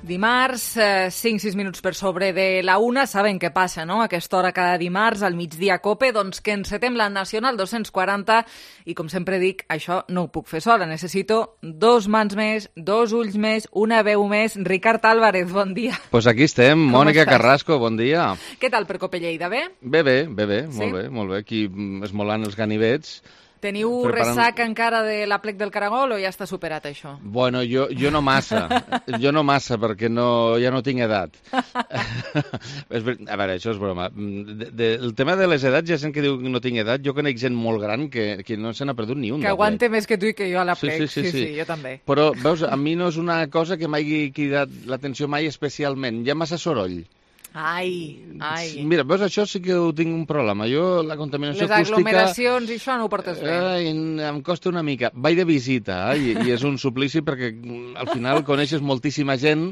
Dimarts, 5-6 minuts per sobre de la una. Saben què passa, no? A aquesta hora cada dimarts, al migdia COPE, doncs que encetem la Nacional 240 i, com sempre dic, això no ho puc fer sola. Necessito dos mans més, dos ulls més, una veu més. Ricard Álvarez, bon dia. Pues aquí estem. Mònica Carrasco, bon dia. Què tal per COPE Lleida, bé? Bé, sí? molt bé. Aquí esmolant els ganivets. Teniu ressaca encara de l'Aplec del Caragol o ja està superat això? Bueno, jo no massa, perquè ja no tinc edat. A veure, això és broma. El tema de les edats, hi ha gent que diu que no tinc edat, jo conec gent molt gran que no se n'ha perdut ni un. Que aguante més que tu i que jo a l'Aplec, sí, jo també. Però, veus, a mi no és una cosa que m'hagi cridat l'atenció mai especialment, hi ha massa soroll. Ai. Mira, veus, això sí que ho tinc un problema. Jo, la contaminació acústica... Les aglomeracions i això no ho portes bé. Em costa una mica. Vaig de visita, i és un suplici perquè al final coneixes moltíssima gent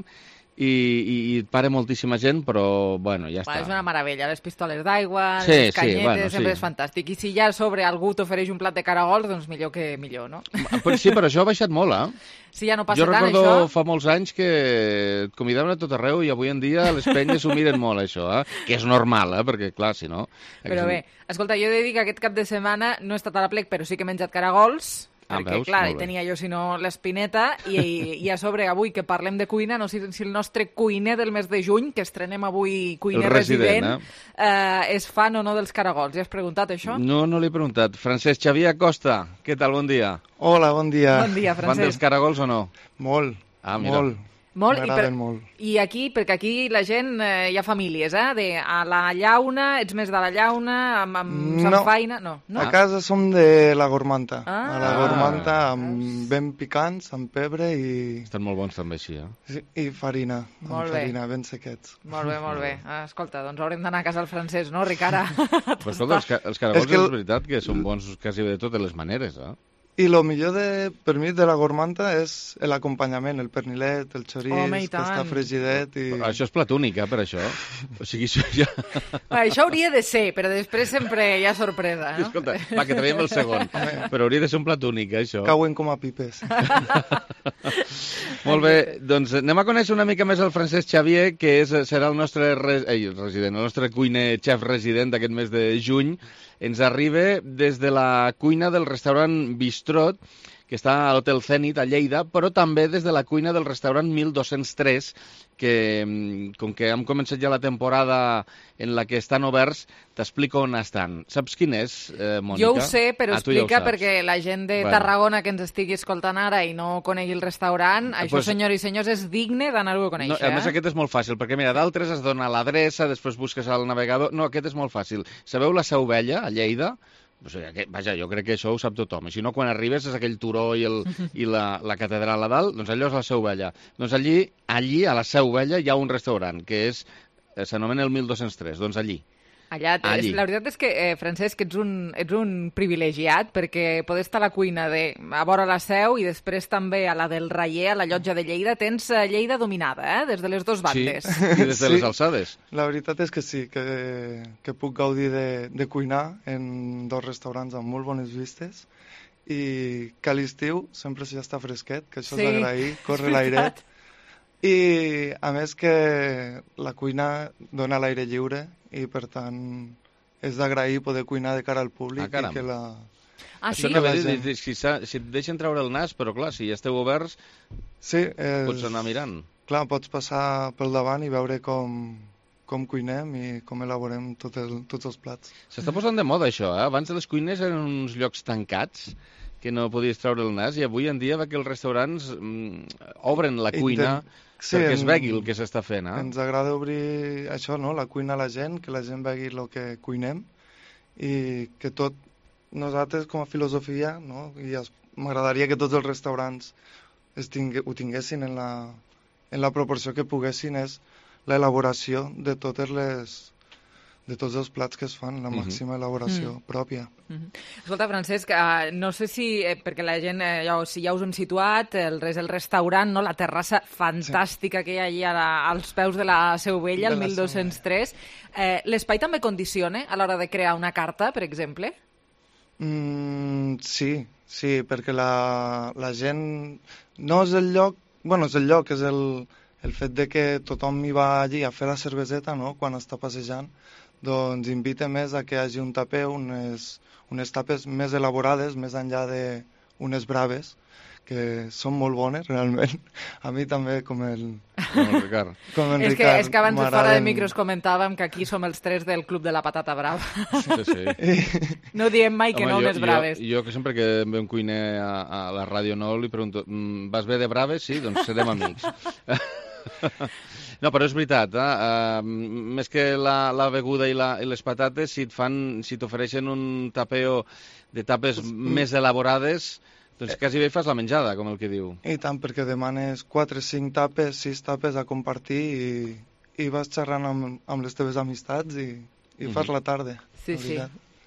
i et para moltíssima gent, però, bueno, ja està. És una meravella, les pistoles d'aigua, les canyetes, sempre és fantàstic. I si ja sobre algú t'ofereix un plat de caragols, doncs millor que millor, no? Sí, però això ha baixat molt, Sí, ja no passa tant, això. Jo recordo fa molts anys que et convidaven a tot arreu i avui en dia les penyes s'ho miren molt, això, que és normal, perquè, clar, si no... Però bé, escolta, jo he de dir que aquest cap de setmana no he estat a l'Aplec, però sí que he menjat caragols, perquè, veus? clar, tenia jo, si no, l'espineta, i a sobre, avui que parlem de cuina, no sé si el nostre cuiner del mes de juny, que estrenem avui cuiner resident, és fan o no dels caragols. Ja has preguntat això? No l'he preguntat. Francesc Xavier Acosta, què tal? Bon dia. Hola, bon dia. Bon dia, Francesc. Van dels caragols o no? Molt, mira. M'agraden molt. I aquí, perquè aquí la gent, hi ha famílies, a la llauna, ets més de la llauna, amb samfaina... No. A casa som de la gormanta. A la gormanta, ben picants, amb pebre i... Estan molt bons també així, Sí, i farina, farina, ben sequets. Molt bé. Escolta, doncs haurem d'anar a casa del francès, no, Ricard? Però escolta, els caragols és veritat que són bons quasi de totes les maneres, I el millor per mi de la gormanta és l'acompanyament, el pernilet, el xoriç, que està fregidet. Això és plat únic, per això. O sigui, això ja... Això hauria de ser, però després sempre hi ha sorpresa, no? Escolta, que traiem el segon. Però hauria de ser un plat únic, això. Cauen com a pipes. Molt bé, doncs anem a conèixer una mica més el Francesc Xavier, que serà el nostre resident, el nostre cuiner xef resident d'aquest mes de juny. Ens arriba des de la cuina del restaurant Bistrot, que està a l'Hotel Zenit, a Lleida, però també des de la cuina del restaurant 1203, que, com que hem començat ja la temporada en la que estan oberts, t'explico on estan. Saps quin és, Mònica? Jo ho sé, però explica, ja perquè la gent de Tarragona que ens estigui escoltant ara i no conegui el restaurant, això, senyors i senyors, és digne d'anar-ho a conèixer. A més, aquest és molt fàcil, perquè mira, d'altres has de donar l'adreça, després busques al navegador... No, aquest és molt fàcil. Sabeu la Seu Vella, a Lleida? Vaja, jo crec que això ho sap tothom. I si no, quan arribes és aquell turó i la catedral a dalt, doncs allò és la Seu Vella. Doncs allí, a la Seu Vella, hi ha un restaurant que s'anomena el 1203, doncs allí. Allà. La veritat és que, Francesc, ets un privilegiat, perquè poder estar a la cuina a vora la Seu i després també a la del Raller, a la Llotja de Lleida, tens Lleida dominada, des de les dues bandes. Sí, i des de les alçades. La veritat és que sí, que puc gaudir de cuinar en dos restaurants amb molt bones vistes i que a l'estiu sempre ja està fresquet, que això és d'agrair, corre l'airet. I, a més, que la cuina dona l'aire lliure i, per tant, és d'agrair poder cuinar de cara al públic i que la... sí? Si et deixen treure el nas, però clar, si ja esteu oberts, pots anar mirant. Clar, pots passar pel davant i veure com cuinem i com elaborem tots els plats. S'està posant de moda això, Abans les cuines eren uns llocs tancats que no podies treure el nas, i avui en dia que els restaurants obren la cuina perquè es vegi el que s'està fent. Ens agrada obrir això, no? La cuina a la gent, que la gent vegi el que cuinem i que tot nosaltres com a filosofia, no? M'agradaria que tots els restaurants ho tinguessin en la proporció que poguessin, és l'elaboració de tots els plats que es fan, la màxima elaboració pròpia. Escolta, Francesc, no sé si, perquè la gent, si ja us hem situat, el restaurant, no, la terrassa fantàstica que hi ha allà als peus de la Seu Vella, el 1203, l'espai també condiciona a l'hora de crear una carta, per exemple? Sí, perquè la gent... No és el lloc... Bueno, és el lloc, és el fet de que tothom hi va allí a fer la cerveseta, no?, quan està passejant, doncs invita més a que hi hagi un taper, unes tapes més elaborades, més enllà d'unes braves, que són molt bones, realment. A mi també, com el Ricard. És que abans fora de micros comentàvem que aquí som els 3 del Club de la Patata Brava. Sí. No diem mai que no unes braves. Jo que sempre que ve un cuiner a la ràdio nou li pregunto, vas bé de braves? Sí, doncs serem amics. No, però és veritat, més que la beguda i les patates, si t'ofereixen un tapeo de tapes més elaborades, doncs quasi bé fas la menjada, com el que diu. I tant, perquè demanes 4, 5 tapes, 6 tapes a compartir i vas xerrant amb les teves amistats i fas la tarda. Sí, sí.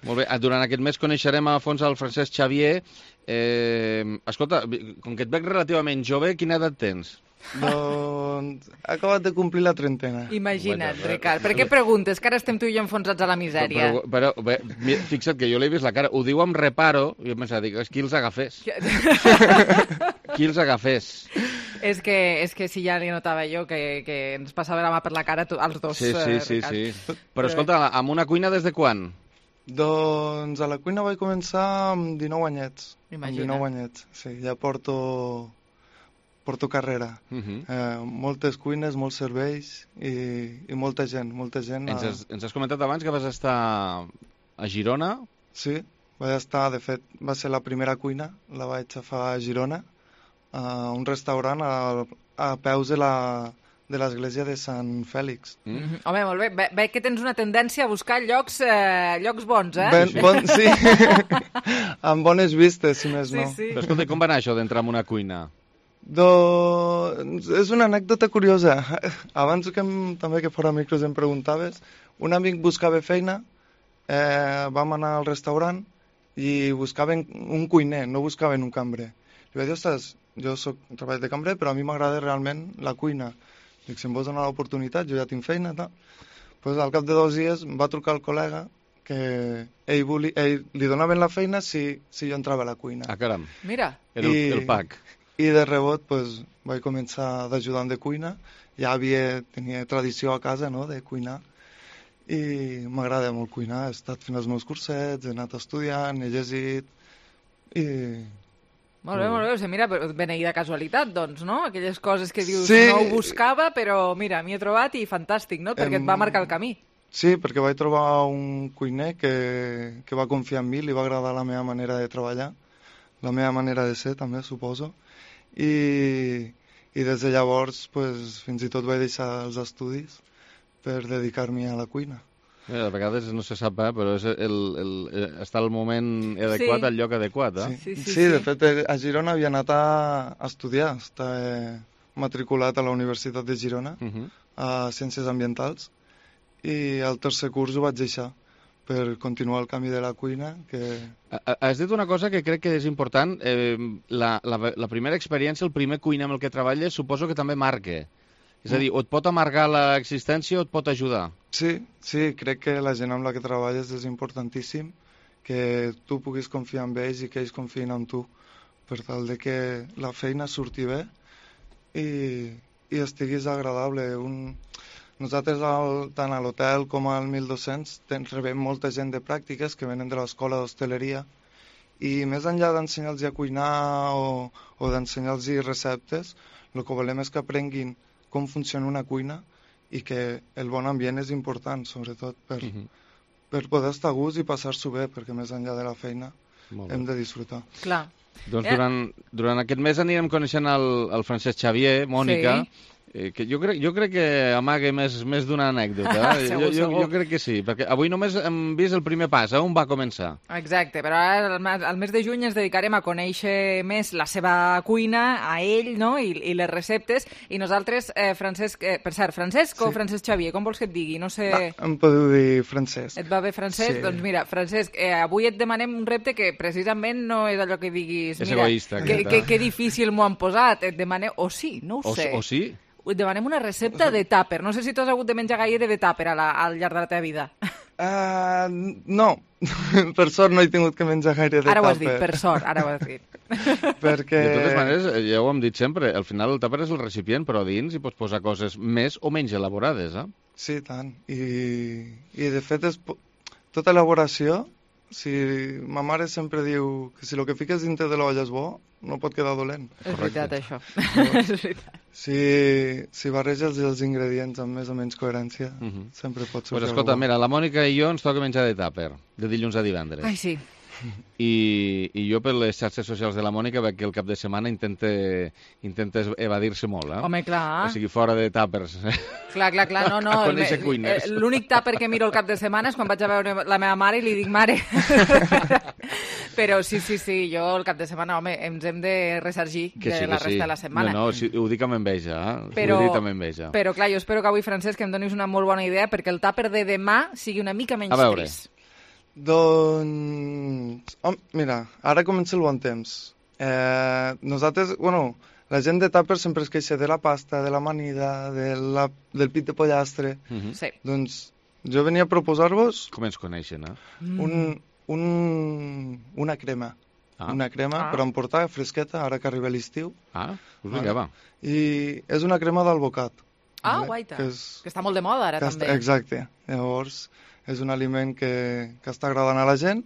Molt bé, durant aquest mes coneixerem a fons el Francesc Xavier. Escolta, com que et veig relativament jove, quina edat tens? Doncs he acabat de complir la 30ena. Imagina't, Ricard. Per què preguntes? Que ara estem tu i jo enfonsats a la misèria. Però fixa't que jo l'he vist la cara. Ho diu amb reparo. Jo pensava, dic, qui els agafés? Qui els agafés? És que si ja li notava jo que ens passava la mà per la cara als dos, Sí. Però escolta, amb una cuina des de quan? Doncs a la cuina vaig començar amb 19 anyets. Imagina't. Amb 19 anyets, sí. Ja porto carrera. Moltes cuines, molts serveis i molta gent. Ens has comentat abans que vas estar a Girona? Sí, vaig estar, de fet, va ser la primera cuina, la vaig agafar a Girona, a un restaurant a peus de l'església de Sant Fèlix. Home, molt bé. Veig que tens una tendència a buscar llocs bons, Sí, amb bones vistes, si més no. Sí. Però escolta, com va anar això d'entrar en una cuina? Doncs és una anècdota curiosa. Abans també que fora micros em preguntaves, un amic buscava feina, vam anar al restaurant i buscaven un cuiner, no buscaven un cambrer. Li vaig dir, ostres, jo treballo de cambrer, però a mi m'agrada realment la cuina. Dic, si em vols donar l'oportunitat, jo ja tinc feina. Pues, al cap de 2 dies em va trucar el col·lega que ell li donaven la feina si jo entrava a la cuina. Ah, caram. Mira. El pack. I de rebot pues, vaig començar d'ajudant de cuina. Ja tenia tradició a casa, no?, de cuinar. I m'agrada molt cuinar. He estat fent els meus cursets, he anat estudiant, he llegit i... Molt bé. O sigui, mira, beneïda casualitat, doncs, no? Aquelles coses que dius, sí. No ho buscava, però mira, m'hi he trobat i fantàstic, no? Perquè et va marcar el camí. Sí, perquè vaig trobar un cuiner que va confiar en mi, li va agradar la meva manera de treballar, la meva manera de ser, també, suposo. I des de llavors pues, fins i tot vaig deixar els estudis per dedicar-m'hi a la cuina. A vegades no se sap, però és està el moment adequat, al lloc adequat. Sí, de fet, a Girona havia anat a estudiar. Estava matriculat a la Universitat de Girona, a Ciències Ambientals, i al tercer curs ho vaig deixar per continuar el camí de la cuina. Has dit una cosa que crec que és important. La primera experiència, el primer cuiner amb el que treballes, suposo que també marca. És a dir, o et pot amargar l'existència o et pot ajudar. Sí, crec que la gent amb la que treballes és importantíssim, que tu puguis confiar en ells i que ells confiïn en tu, per tal de que la feina surti bé i estiguis agradable. Nosaltres, tant a l'hotel com al 1200, rebem molta gent de pràctiques que venen de l'escola d'hostaleria i més enllà d'ensenyar-los a cuinar o d'ensenyar-los receptes, el que volem és que aprenguin com funciona una cuina i que el bon ambient és important, sobretot per poder estar a gust i passar-s'ho bé, perquè més enllà de la feina hem de disfrutar. Clar. Doncs durant aquest mes anirem coneixent el Francesc Xavier, Mònica, que jo crec que amaga més d'una anècdota. Segur. Jo crec que sí, perquè avui només hem vist el primer pas, on va començar. Exacte, però ara al mes de juny ens dedicarem a conèixer més la seva cuina, a ell, no?, i les receptes, i nosaltres, Francesc, per cert, Francesc o Francesc Xavier, com vols que et digui? No sé... Em podeu dir Francesc. Et va bé Francesc? Sí. Doncs mira, Francesc, avui et demanem un repte que precisament no és allò que diguis... És egoista. Que difícil m'ho han posat. Et demanem... O sí, no ho sé. O sí? Et demanem una recepta de tàper. No sé si tu has hagut de menjar gaire de tàper al llarg de la teva vida. No, per sort no he tingut que menjar gaire de tàper. Ara ho has dit, per sort, ara ho has dit. Perquè... De totes maneres, ja ho hem dit sempre, al final el tàper és el recipient, però a dins hi pots posar coses més o menys elaborades, eh? Sí, tant. I de fet, tota elaboració, si ma mare sempre diu que si el que fiques dintre de l'olla és bo, no pot quedar dolent. És veritat, això. És veritat. Si barreges els ingredients amb més o menys coherència, sempre pot sortir Pues escolta, bo. mira, la Mònica i jo ens toca menjar de tàper, de dilluns a divendres. Ai, sí. I jo per les xarxes socials de la Mònica veig que el cap de setmana intenta evadir-se molt, eh? Home, clar. O sigui, fora de tàpers. Clar, no. A conèixer cuiners. L'únic tàper que miro el cap de setmana és quan vaig a veure la meva mare i li dic, mare. Però sí, jo el cap de setmana, home, ens hem de ressargir de la resta de la setmana. No, sí, ho dic amb enveja, Però, ho dic amb enveja. Però clar, jo espero que avui, Francesc, em donis una molt bona idea perquè el tàper de demà sigui una mica menys trist. Doncs, mira, ara comença el bon temps. Nosaltres, la gent de tàper sempre es queixa de la pasta, de l'amanida, del pit de pollastre. Sí. Doncs jo venia a proposar-vos... Com ens coneixen, eh? Una crema. Una crema per emportar fresqueta, ara que arriba l'estiu. Pues vinga, va. I és una crema d'alvocat. Guaita, que està molt de moda ara, també. Exacte. Llavors, és un aliment que està agradant a la gent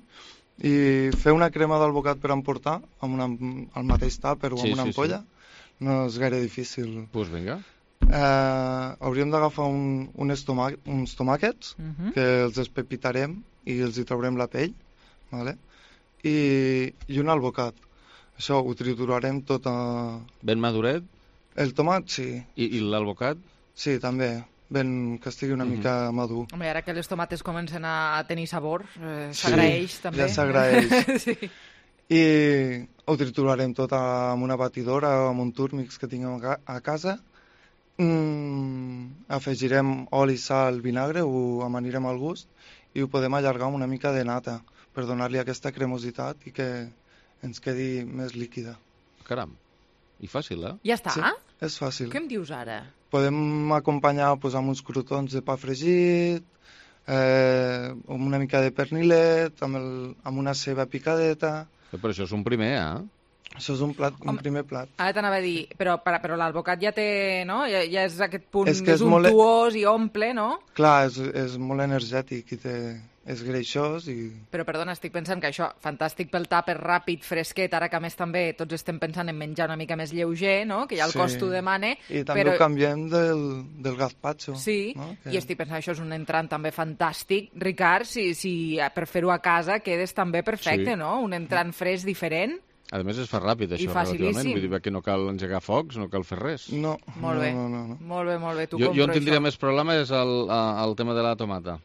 i fer una crema d'alvocat per emportar al mateix tàper o amb una ampolla no és gaire difícil. Pues vinga. Hauríem d'agafar uns tomàquets que els espepitarem i els hi traurem la pell, vale? I un alvocat. Això ho triturarem tot Ben maduret? El tomàquet, sí. I l'alvocat? Sí, també. Que estigui una mica madur. Home, ara que les tomates comencen a tenir sabor, s'agraeix també. Ja s'agraeix. Sí. I ho triturarem tot amb una batidora o amb un túrmix que tinguem a casa. Afegirem oli, sal, vinagre, ho amanirem al gust i ho podem allargar amb una mica de nata per donar-li aquesta cremositat i que ens quedi més líquida. Caram, i fàcil, eh? Ja està? Sí, és fàcil. Què em dius ara? Podem acompanyar amb uns crotons de pa fregit, amb una mica de pernilet, amb una ceba picadeta. Però això és un primer, eh? Això és un primer plat. Ara t'anava a dir, però l'alvocat ja té, no? Ja és aquest punt més untuós i omple, no? Clar, és molt energètic i és greixós i... Però, perdona, estic pensant que això, fantàstic pel tàper ràpid, fresquet, ara que a més també tots estem pensant en menjar una mica més lleuger, no? Que ja el cost ho demana. I també ho canviem del gazpacho. Sí, no? I estic pensant que això és un entrant també fantàstic. Ricard, si per fer-ho a casa quedes també perfecte, no? Un entrant fresc diferent. A més, es fa ràpid, això, relativament. Vull dir que no cal engegar focs, no cal fer res. No. Molt bé. Molt bé, tu compro jo en tindria més problema és el tema de la tomata.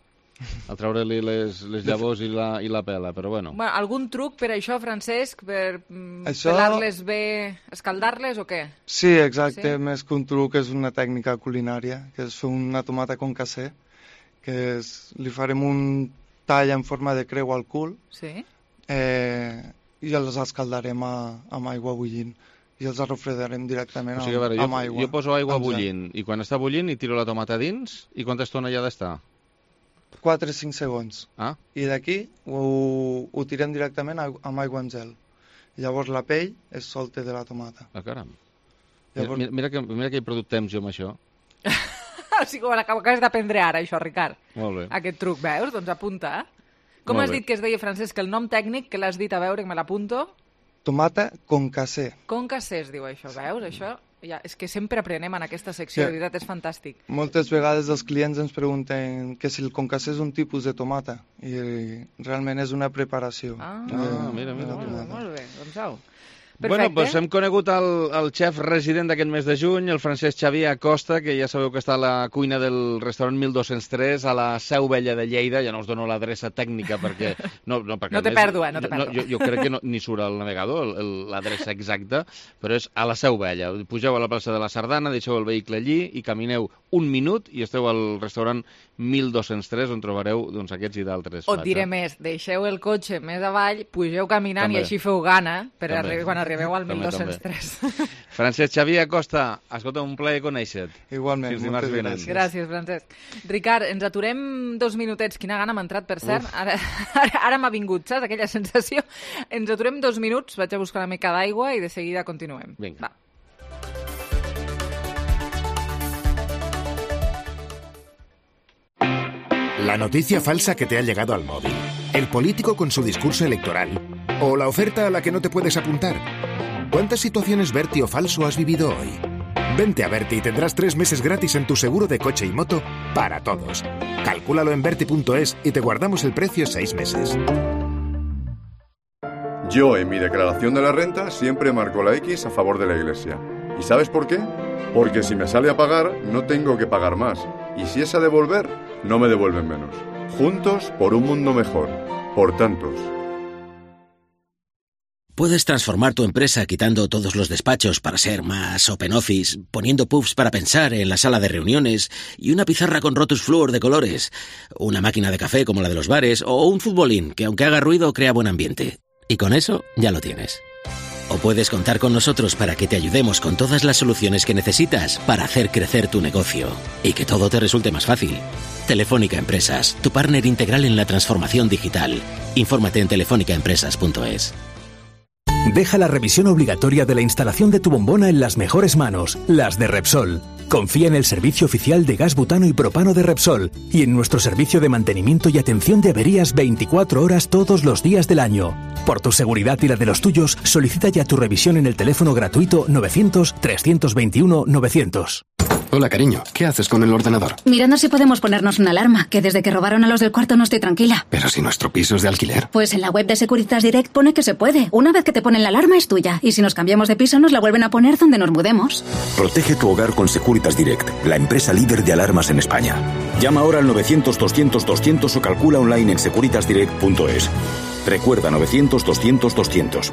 A treure-li les llavors i la pela, però bueno. Algun truc per això, Francesc? Per pelar-les bé, escaldar-les o què? Sí, exacte. Més que un truc és una tècnica culinària, que és fer una tomata con casser, que li farem un tall en forma de creu al cul. Sí. I els escaldarem amb aigua bullint i els refredarem directament amb aigua. Jo poso aigua bullint i quan està bullint hi tiro la tomata dins i quanta estona hi ha d'estar? 4-5 segons. I d'aquí ho tirem directament amb aigua en gel. Llavors la pell es solta de la tomata. Caram. Llavors... Mira que he perdut temps jo amb això. O sigui, ho acabes d'aprendre ara, això, Ricard. Molt bé. Aquest truc, veus? Doncs apunta. Com has dit que es deia, Francesc, el nom tècnic que l'has dit, a veure, que me l'apunto? Tomata con casser. Con casser es diu això, veus? Això és que sempre aprenem en aquesta secció, de veritat, és fantàstic. Moltes vegades els clients ens pregunten que si el concassé és un tipus de tomata i realment és una preparació. Mira. Molt bé, doncs au. Perfecte. Bueno, doncs hem conegut el xef resident d'aquest mes de juny, el Francesc Xavier Acosta, que ja sabeu que està a la cuina del restaurant 1203, a la Seu Vella de Lleida. Ja no us dono l'adreça tècnica perquè... No té pèrdua, no té pèrdua. Jo crec que ni surt al navegador l'adreça exacta, però és a la Seu Vella. Pugeu a la plaça de la Sardana, deixeu el vehicle allí i camineu un minut i esteu al restaurant 1203, on trobareu aquests i d'altres plats. O et diré més, deixeu el cotxe més avall, pugeu caminant i així feu gana per quan arribeu al També, 1203. Francesc Xavier Acosta, escolta, un plaer conèixer-te. Igualment, Fins dimarts moltes vinent. Gràcies, Francesc. Ricard, ens aturem 2 minutets. Quina gana m'ha entrat, per cert. Ara m'ha vingut, saps? Aquella sensació. Ens aturem 2 minuts, vaig a buscar una mica d'aigua i de seguida continuem. Vinga. Va. La noticia falsa que te ha llegado al móvil, el político con su discurso electoral o la oferta a la que no te puedes apuntar. ¿Cuántas situaciones Berti o falso has vivido hoy? Vente a Berti y tendrás 3 meses gratis en tu seguro de coche y moto para todos. Calcúlalo en Berti.es y te guardamos el precio 6 meses. Yo en mi declaración de la renta siempre marco la X a favor de la Iglesia. ¿Y sabes por qué? Porque si me sale a pagar, no tengo que pagar más. Y si es a devolver, no me devuelven menos. Juntos por un mundo mejor. Por tantos. Puedes transformar tu empresa quitando todos los despachos para ser más open office, poniendo puffs para pensar en la sala de reuniones y una pizarra con Rotus Fluor de colores, una máquina de café como la de los bares o un futbolín que aunque haga ruido crea buen ambiente. Y con eso ya lo tienes. O puedes contar con nosotros para que te ayudemos con todas las soluciones que necesitas para hacer crecer tu negocio y que todo te resulte más fácil. Telefónica Empresas, tu partner integral en la transformación digital. Infórmate en telefónicaempresas.es. Deja la revisión obligatoria de la instalación de tu bombona en las mejores manos, las de Repsol. Confía en el servicio oficial de gas butano y propano de Repsol y en nuestro servicio de mantenimiento y atención de averías 24 horas todos los días del año. Por tu seguridad y la de los tuyos, solicita ya tu revisión en el teléfono gratuito 900-321-900. Hola, cariño. ¿Qué haces con el ordenador? Mirando si podemos ponernos una alarma, que desde que robaron a los del cuarto no estoy tranquila. Pero si nuestro piso es de alquiler. Pues en la web de Securitas Direct pone que se puede. Una vez que te ponen la alarma es tuya. Y si nos cambiamos de piso nos la vuelven a poner donde nos mudemos. Protege tu hogar con Securitas Direct, la empresa líder de alarmas en España. Llama ahora al 900-200-200 o calcula online en securitasdirect.es. Recuerda 900-200-200.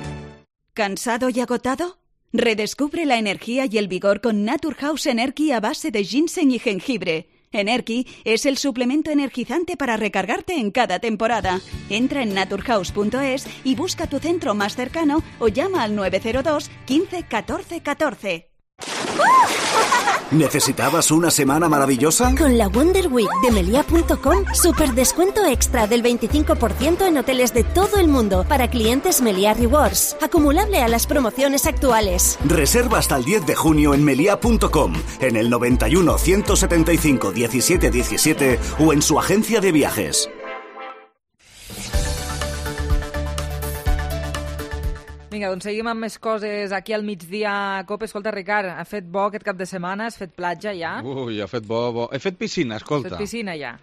¿Cansado y agotado? Redescubre la energía y el vigor con Naturhaus Energy a base de ginseng y jengibre. Energy es el suplemento energizante para recargarte en cada temporada. Entra en naturhaus.es y busca tu centro más cercano o llama al 902 15 14 14. ¿Necesitabas una semana maravillosa? Con la Wonder Week de Melia.com, super descuento extra del 25% en hoteles de todo el mundo para clientes Melia Rewards, acumulable a las promociones actuales. Reserva hasta el 10 de junio en Melia.com, en el 91 175 17 17 o en su agencia de viajes. Vinga, doncs seguim amb més coses aquí al migdia. Cope, escolta, Ricard, ha fet bo aquest cap de setmana? Has fet platja ja? Ui, ha fet bo. He fet piscina, escolta. Has fet piscina ja?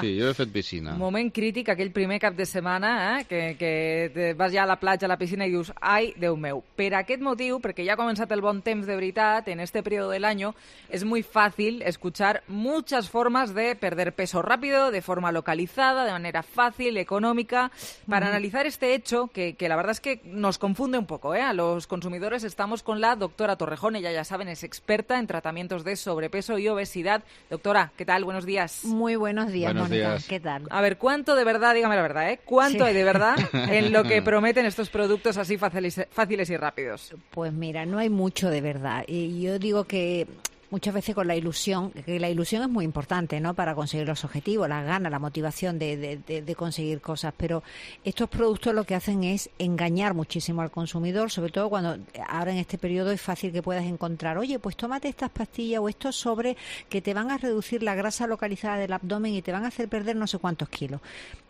Sí, jo he fet piscina. Moment crític, aquell primer cap de setmana, que vas ja a la platja, a la piscina i dius, ai, Déu meu. Per aquest motiu, perquè ja ha començat el bon temps de veritat, en este periodo del año, es muy fácil escuchar muchas formas de perder peso rápido, de forma localizada, de manera fácil, económica. Para analizar este hecho, que la verdad es que nos confunde un poco, a los consumidores, estamos con la doctora Torrejón. Ella, ya saben, es experta en tratamientos de sobrepeso y obesidad. Doctora, ¿qué tal? Buenos días. Muy buenos días, Mónica. ¿Qué tal? A ver, ¿cuánto de verdad, dígame la verdad, cuánto hay de verdad en lo que prometen estos productos así fáciles y rápidos? Pues mira, no hay mucho de verdad. Y yo digo que muchas veces con la ilusión, que la ilusión es muy importante, ¿no?, para conseguir los objetivos, las ganas, la motivación de conseguir cosas, pero estos productos lo que hacen es engañar muchísimo al consumidor, sobre todo cuando ahora en este periodo es fácil que puedas encontrar, oye, pues tómate estas pastillas o estos sobre que te van a reducir la grasa localizada del abdomen y te van a hacer perder no sé cuántos kilos.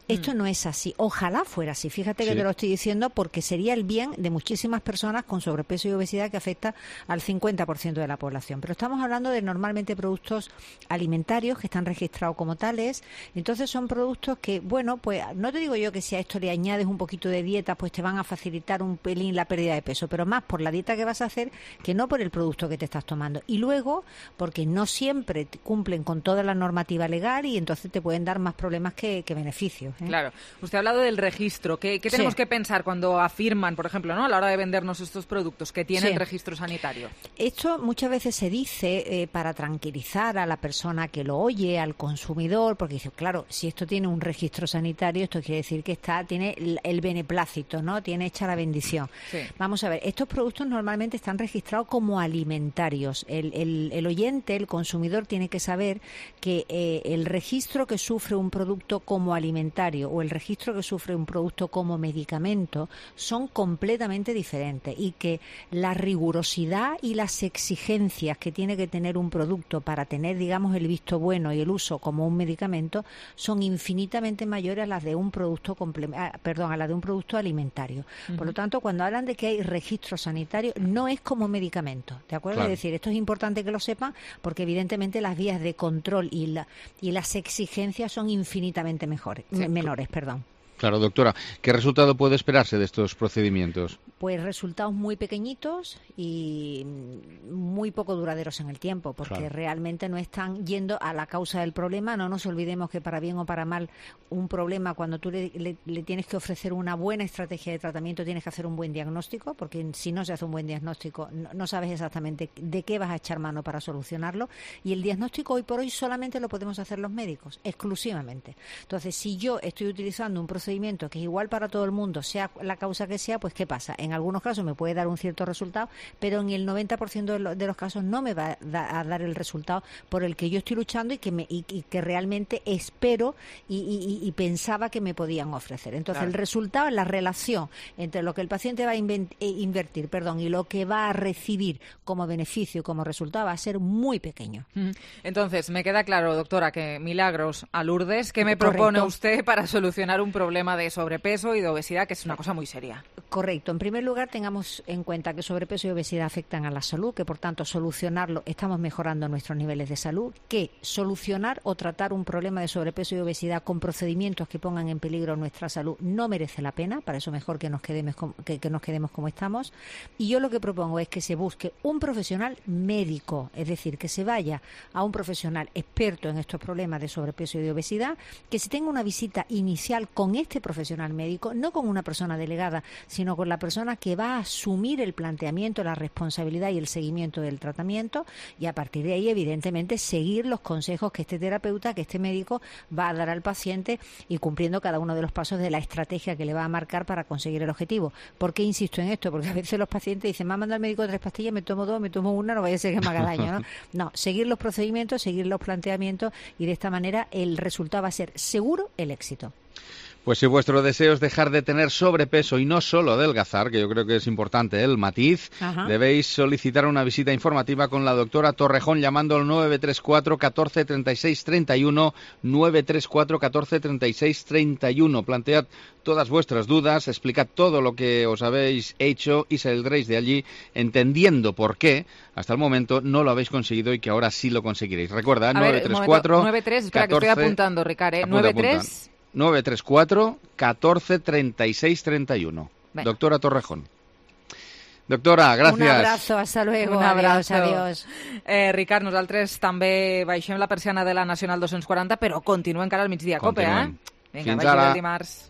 Esto no es así. Ojalá fuera así. Fíjate que te lo estoy diciendo porque sería el bien de muchísimas personas con sobrepeso y obesidad que afecta al 50% de la población. Pero estamos hablando de normalmente productos alimentarios que están registrados como tales. Entonces son productos que, bueno, pues no te digo yo que si a esto le añades un poquito de dieta, pues te van a facilitar un pelín la pérdida de peso, pero más por la dieta que vas a hacer que no por el producto que te estás tomando. Y luego, porque no siempre cumplen con toda la normativa legal y entonces te pueden dar más problemas que beneficios. Claro. Usted ha hablado del registro. ¿Qué tenemos que pensar cuando afirman, por ejemplo, ¿no?, a la hora de vendernos estos productos que tienen registro sanitario? Esto muchas veces se dice sirve para tranquilizar a la persona que lo oye, al consumidor, porque dice, claro, si esto tiene un registro sanitario, esto quiere decir que tiene el beneplácito, ¿no? Tiene hecha la bendición. Sí. Vamos a ver, estos productos normalmente están registrados como alimentarios. El oyente, el consumidor, tiene que saber que el registro que sufre un producto como alimentario o el registro que sufre un producto como medicamento son completamente diferentes, y que la rigurosidad y las exigencias que tiene que tener un producto para tener, digamos, el visto bueno y el uso como un medicamento son infinitamente mayores a las de un producto a la de un producto alimentario. Por lo tanto, cuando hablan de que hay registro sanitario, no es como medicamento, ¿de acuerdo? Claro. Es decir, esto es importante que lo sepan, porque evidentemente las vías de control y las exigencias son infinitamente menores. Claro, doctora. ¿Qué resultado puede esperarse de estos procedimientos? Pues resultados muy pequeñitos y muy poco duraderos en el tiempo, porque realmente no están yendo a la causa del problema. No nos olvidemos que para bien o para mal un problema, cuando tú le tienes que ofrecer una buena estrategia de tratamiento, tienes que hacer un buen diagnóstico, porque si no se hace un buen diagnóstico no sabes exactamente de qué vas a echar mano para solucionarlo, y el diagnóstico hoy por hoy solamente lo podemos hacer los médicos, exclusivamente. Entonces, si yo estoy utilizando un procedimiento que es igual para todo el mundo, sea la causa que sea, pues ¿qué pasa? En algunos casos me puede dar un cierto resultado, pero en el 90% de los casos no me va a dar el resultado por el que yo estoy luchando y que realmente espero y pensaba que me podían ofrecer. Entonces, el resultado, la relación entre lo que el paciente va a invertir y lo que va a recibir como beneficio, como resultado, va a ser muy pequeño. Entonces, me queda claro, doctora, que milagros a Lourdes. ¿Qué me propone usted para solucionar un problema de sobrepeso y de obesidad, que es una cosa muy seria? Correcto. En primer lugar, tengamos en cuenta que sobrepeso y obesidad afectan a la salud, que por tanto solucionarlo estamos mejorando nuestros niveles de salud, que solucionar o tratar un problema de sobrepeso y obesidad con procedimientos que pongan en peligro nuestra salud no merece la pena. Para eso mejor que nos quedemos como estamos. Y yo lo que propongo es que se busque un profesional médico, es decir, que se vaya a un profesional experto en estos problemas de sobrepeso y de obesidad, que se tenga una visita inicial con este profesional médico, no con una persona delegada, sino con la persona que va a asumir el planteamiento, la responsabilidad y el seguimiento del tratamiento, y a partir de ahí, evidentemente, seguir los consejos que este terapeuta, que este médico va a dar al paciente, y cumpliendo cada uno de los pasos de la estrategia que le va a marcar para conseguir el objetivo. ¿Por qué insisto en esto? Porque a veces los pacientes dicen, me ha mandado el médico 3 pastillas, me tomo 2, me tomo 1, no vaya a ser que me haga daño, ¿no? No, seguir los procedimientos, seguir los planteamientos, y de esta manera el resultado va a ser seguro el éxito. Pues si vuestro deseo es dejar de tener sobrepeso y no solo adelgazar, que yo creo que es importante el matiz, debéis solicitar una visita informativa con la doctora Torrejón llamando al 934 14 36 31, 934 14 36 31. Plantead todas vuestras dudas, explicad todo lo que os habéis hecho y saldréis de allí entendiendo por qué hasta el momento no lo habéis conseguido y que ahora sí lo conseguiréis. Recuerda, 934 93, espera 14, que estoy apuntando, Ricard, 93 934 14 36 31. Venga. Doctora Torrejón. Doctora, gràcies. Un abrazo, hasta luego. Un abrazo. Adiós. Ricard, nosaltres també baixem la persiana de la Nacional 240, però continua encara al migdia Cope, Vinga, fins vagi ara. El dimarts.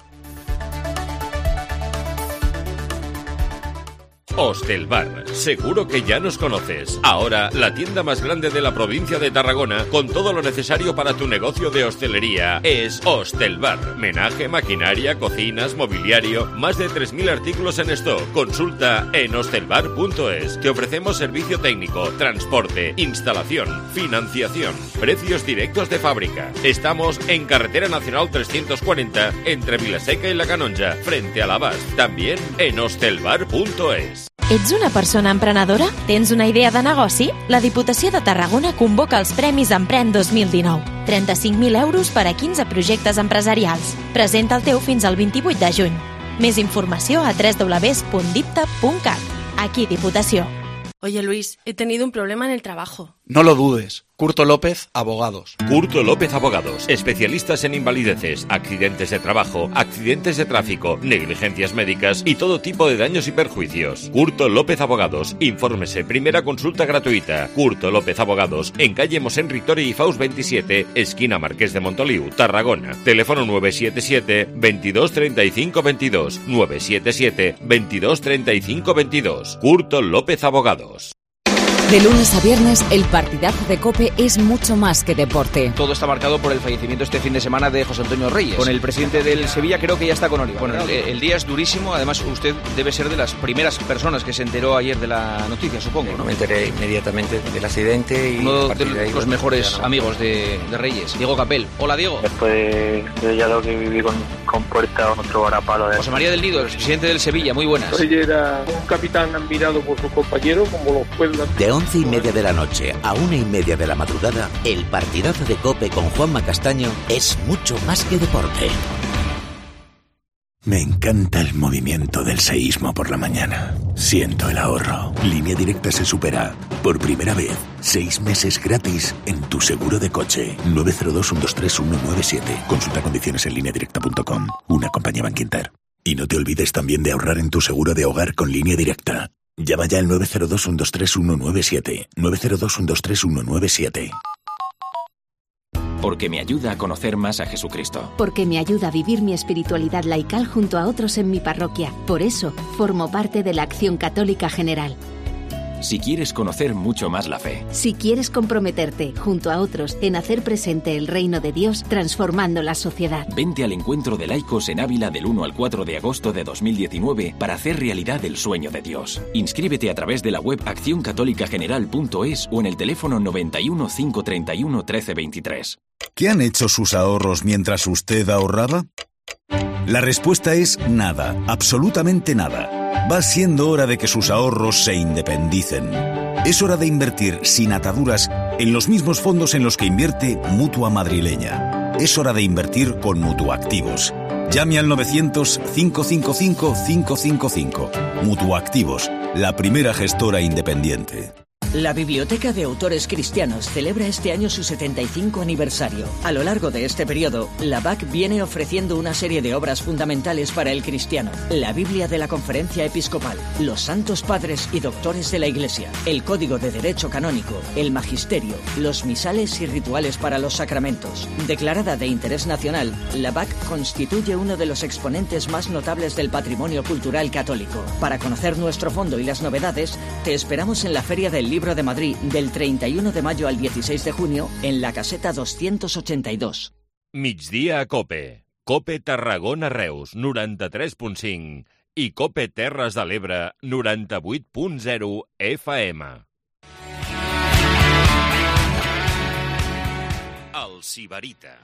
Hostelbar, seguro que ya nos conoces. Ahora, la tienda más grande de la provincia de Tarragona, con todo lo necesario para tu negocio de hostelería, es Hostelbar. Menaje, maquinaria, cocinas, mobiliario, más de 3.000 artículos en stock. Consulta en hostelbar.es. Te ofrecemos servicio técnico, transporte, instalación, financiación, precios directos de fábrica. Estamos en Carretera Nacional 340, entre Vilaseca y La Canonja, frente a l'Abast. También en hostelbar.es. Ets una persona emprenedora? Tens una idea de negoci? La Diputació de Tarragona convoca els Premis Emprèn 2019. 35.000 euros per a 15 projectes empresarials. Presenta el teu fins al 28 de juny. Més informació a www.dipta.cat. Aquí Diputació. Oye Luis, he tenido un problema en el trabajo. No lo dudes. Curto López, Abogados. Curto López Abogados, especialistas en invalideces, accidentes de trabajo, accidentes de tráfico, negligencias médicas y todo tipo de daños y perjuicios. Curto López Abogados, infórmese, primera consulta gratuita. Curto López Abogados, en calle Mosén Ritori y Faust 27, esquina Marqués de Montoliu, Tarragona. Teléfono 977 22 35 22, 977 22 35 22. Curto López Abogados. De lunes a viernes, el partidazo de COPE es mucho más que deporte. Todo está marcado por el fallecimiento este fin de semana de José Antonio Reyes. Con el presidente del Sevilla creo que ya está con Oliva. Bueno, el día es durísimo. Además, usted debe ser de las primeras personas que se enteró ayer de la noticia, supongo, ¿no? Me enteré inmediatamente del accidente. Y uno de los mejores amigos de Reyes, Diego Capel. Hola, Diego. Después de ya lo que viví con Puerta, otro varapalo. José María del Nido, el presidente del Sevilla. Muy buenas. Reyes era un capitán admirado por sus compañeros, como los pueblos. De 11:30 de la noche a 1:30 de la madrugada, el partidazo de COPE con Juanma Castaño es mucho más que deporte. Me encanta el movimiento del seísmo por la mañana. Siento el ahorro. Línea Directa se supera. Por primera vez, 6 meses gratis en tu seguro de coche. 902-123-197. Consulta condiciones en lineadirecta.com. Una compañía Bankinter. Y no te olvides también de ahorrar en tu seguro de hogar con Línea Directa. Llama ya al 902-123-197. 902-123-197. Porque me ayuda a conocer más a Jesucristo. Porque me ayuda a vivir mi espiritualidad laical junto a otros en mi parroquia. Por eso, formo parte de la Acción Católica General. Si quieres conocer mucho más la fe. Si quieres comprometerte, junto a otros, en hacer presente el reino de Dios, transformando la sociedad. Vente al encuentro de laicos en Ávila del 1 al 4 de agosto de 2019 para hacer realidad el sueño de Dios. Inscríbete a través de la web accioncatolicageneral.es o en el teléfono 91 531 1323. ¿Qué han hecho sus ahorros mientras usted ahorraba? La respuesta es nada, absolutamente nada. Va siendo hora de que sus ahorros se independicen. Es hora de invertir sin ataduras en los mismos fondos en los que invierte Mutua Madrileña. Es hora de invertir con Mutuactivos. Llame al 900-555-555. Mutuactivos, la primera gestora independiente. La Biblioteca de Autores Cristianos celebra este año su 75 aniversario. A lo largo de este periodo, la BAC viene ofreciendo una serie de obras fundamentales para el cristiano. La Biblia de la Conferencia Episcopal, los Santos Padres y Doctores de la Iglesia, el Código de Derecho Canónico, el Magisterio, los misales y rituales para los sacramentos. Declarada de interés nacional, la BAC constituye uno de los exponentes más notables del patrimonio cultural católico. Para conocer nuestro fondo y las novedades, te esperamos en la Feria del Libro de Madrid del 31 de mayo al 16 de junio en la caseta 282. Migdia a COPE. COPE Tarragona Reus 93.5 i COPE Terres de l'Ebre 98.0 FM. El Sibarita.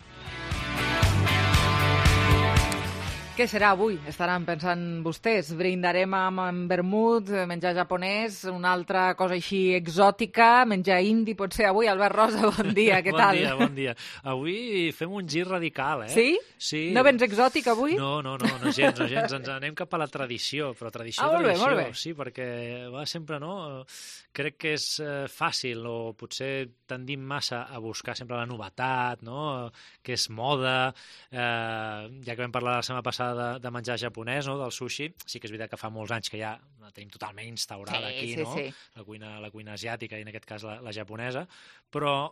Què serà avui? Estaran pensant vostès. Brindarem amb vermut, menjar japonès, una altra cosa així exòtica, menjar indi, potser avui. Albert Rosa, bon dia, què tal? Bon dia. Avui fem un gir radical, eh? Sí? Sí. No vens exòtic avui? No gens. Ens anem cap a la tradició, però tradició. Molt bé. Sí, perquè va sempre, no? Crec que és fàcil, o potser tendim massa a buscar sempre la novetat, no? Que és moda. Ja que vam parlar la setmana passada de menjar japonès, no? Del sushi, sí que és veritat que fa molts anys que ja la tenim totalment instaurada aquí, no? Sí. La cuina asiàtica i en aquest cas la japonesa, però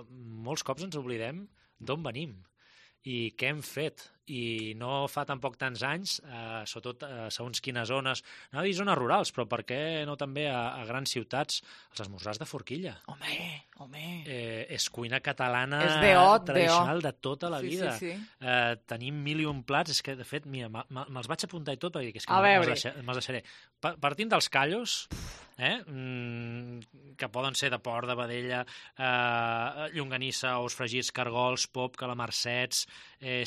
molts cops ens oblidem d'on venim i què hem fet. I no fa tampoc tants anys, sobretot a segons quines zones, anava a dir zones rurals, però per què no també a grans ciutats, els esmorzars de forquilla. Home. És cuina catalana tradicional de tota la vida. Sí. Tenim 1001 plats, és que de fet, mira, me'ls vaig apuntar i tot, perquè és que me'ls deixaré. Partint dels callos, que poden ser de porc, de vedella, llonganissa, ous fregits, cargols, pop, calamarsets,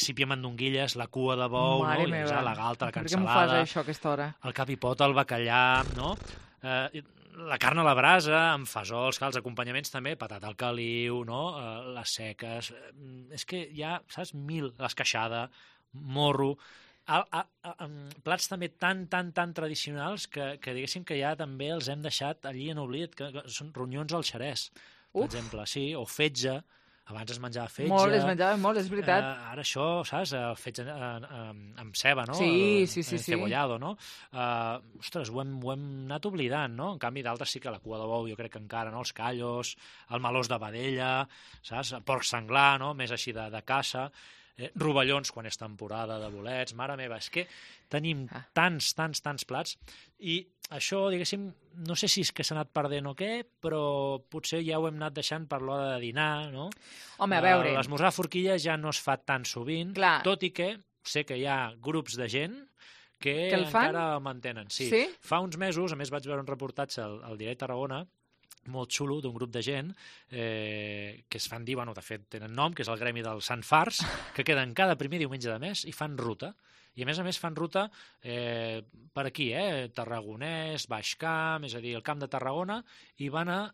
sípia mandonguilles, la cua de bou, Mare no? meva. La galta, la Per què m'ho cansalada, fas, això, a aquesta hora? el cap i pota, el bacallà, no? La carn a la brasa, amb fesols, els acompanyaments també, patata al caliu, no? Les seques, és que hi ha, saps, l'esqueixada, morro, plats també tan tradicionals que diguéssim que ja també els hem deixat allí en oblit, que són ronyons al xerès, per exemple, sí, o fetge. Abans es menjava fetge. Molt, es menjava molt, és veritat. Ara això, saps, fetge amb ceba, no? Sí. Cebollado, no? Ostres, ho hem anat oblidant, no? En canvi, d'altres sí que la cua de bou, jo crec que encara, no? Els callos, el melós de vedella, saps? El porc senglar, no? Més així de caça. rovellons quan és temporada de bolets, mare meva, és que tenim tants plats, i això, diguéssim, no sé si és que s'ha anat perdent o què, però potser ja ho hem anat deixant per l'hora de dinar, no? Home, a veure... L'esmorzar a forquilla ja no es fa tan sovint, tot i que sé que hi ha grups de gent que encara el mantenen. Sí. Fa uns mesos, a més vaig veure un reportatge al Diari Tarragona, molt xulo, d'un grup de gent que es fan dir, bueno, de fet tenen nom, que és el gremi del Sant Fars, que queden cada primer diumenge de mes i fan ruta. I a més fan ruta per aquí, Tarragonès, Baix Camp, és a dir, el Camp de Tarragona, i van a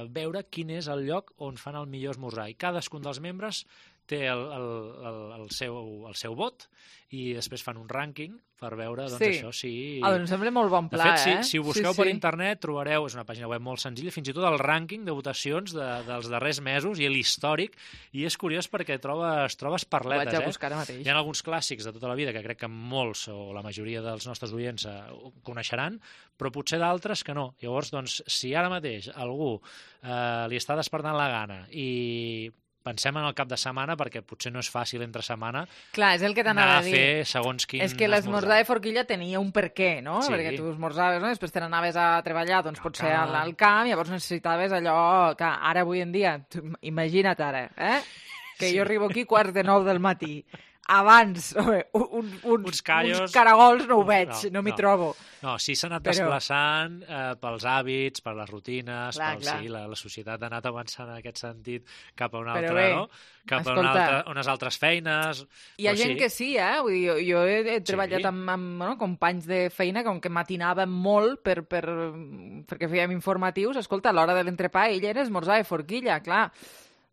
veure quin és el lloc on fan el millor esmorzar. I cadascun dels membres té el seu vot i després fan un rànquing per veure, doncs, això sí... Em sembla molt bon pla, de fet, si ho busqueu per internet trobareu, és una pàgina web molt senzilla, fins i tot el rànquing de votacions dels darrers mesos i l'històric, i és curiós perquè trobes perletes. Ho vaig a buscar ara mateix. Hi ha alguns clàssics de tota la vida que crec que molts, o la majoria dels nostres oients coneixeran, però potser d'altres que no. Llavors, doncs, si ara mateix algú li està despertant la gana i pensem en el cap de setmana, perquè potser no és fàcil entre setmana. Clar, és el que t'anava a dir. Anar a fer segons quin És que l'esmorzar de forquilla tenia un per què, no? Sí. Perquè tu esmorzaves, no? Després te n'anaves a treballar, doncs potser al camp, llavors necessitaves allò que ara avui en dia, imagina't ara, que jo arribo aquí 8:45 del matí. Abans, uns caragols no ho veig, no m'hi trobo. No, sí s'ha anat desplaçant pels hàbits, per les rutines, sí, la societat ha anat avançant en aquest sentit cap a una altra, no? Cap a unes altres feines. Hi ha gent que sí, Vull dir, jo he treballat amb companys de feina que matinaven molt perquè fèiem informatius. Escolta, a l'hora de l'entrepà ell era esmorzar de forquilla, clar.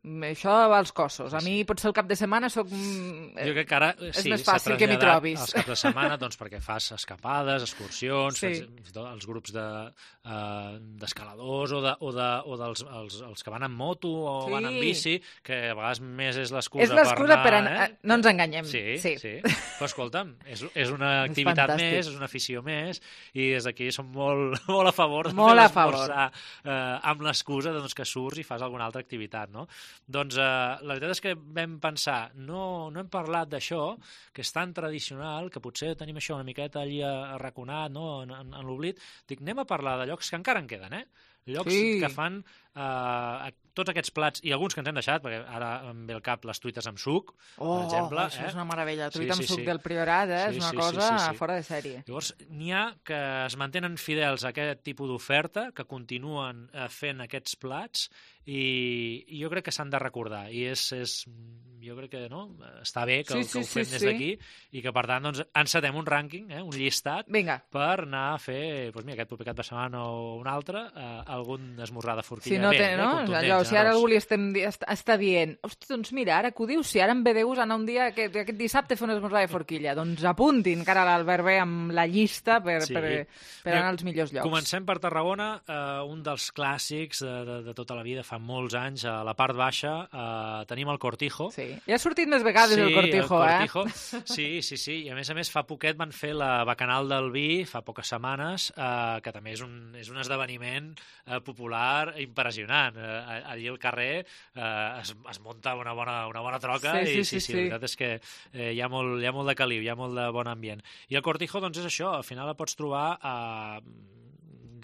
Això va als cossos. A mi potser el cap de setmana soc... Jo crec que ara és més fàcil que m'hi trobis. Els caps de setmana, doncs, perquè fas escapades, excursions, els grups d'escaladors o dels que van en moto o van en bici, que a vegades més és l'excusa per anar... No ens enganyem. Sí. Però escolta'm, és una activitat més, és una afició més, i des d'aquí som molt a favor d'esmorzar amb l'excusa que surts i fas alguna altra activitat, no? Doncs la veritat és que vam pensar, no hem parlat d'això, que és tan tradicional, que potser tenim això una miqueta allí arraconat, no? en l'oblit. Dic, anem a parlar de llocs que encara en queden, llocs que fan tots aquests plats, i alguns que ens hem deixat, perquè ara em ve al cap les truites amb suc, per exemple. Això és una meravella, truita amb suc del Priorat, és una cosa fora de sèrie. Llavors, n'hi ha que es mantenen fidels a aquest tipus d'oferta, que continuen fent aquests plats, i jo crec que s'han de recordar, i jo crec que està bé que ho fem des d'aquí, i que per tant doncs, encetem un rànquing, un llistat, per anar a fer, aquest proper cap de setmana o un altre, algun esmorzar de forquilla. Si ara algú li està dient, hosti, doncs mira, ara que ho dius, si ara em ve de gust anar un dia, aquest dissabte fer un esmorzar de forquilla, doncs apuntin encara l'Albert B amb la llista per anar als millors llocs. Comencem per Tarragona, un dels clàssics de tota la vida, fa molts anys, a la part baixa tenim el Cortijo. Sí, ja ha sortit més vegades el Cortijo, Sí, i a més fa poquet van fer la Bacanal del Vi, fa poques setmanes, que també és un esdeveniment popular impressionant. Allí al carrer es munta una bona troca, i la veritat és que hi ha molt de caliu, hi ha molt de bon ambient. I el Cortijo, doncs és això, al final la pots trobar a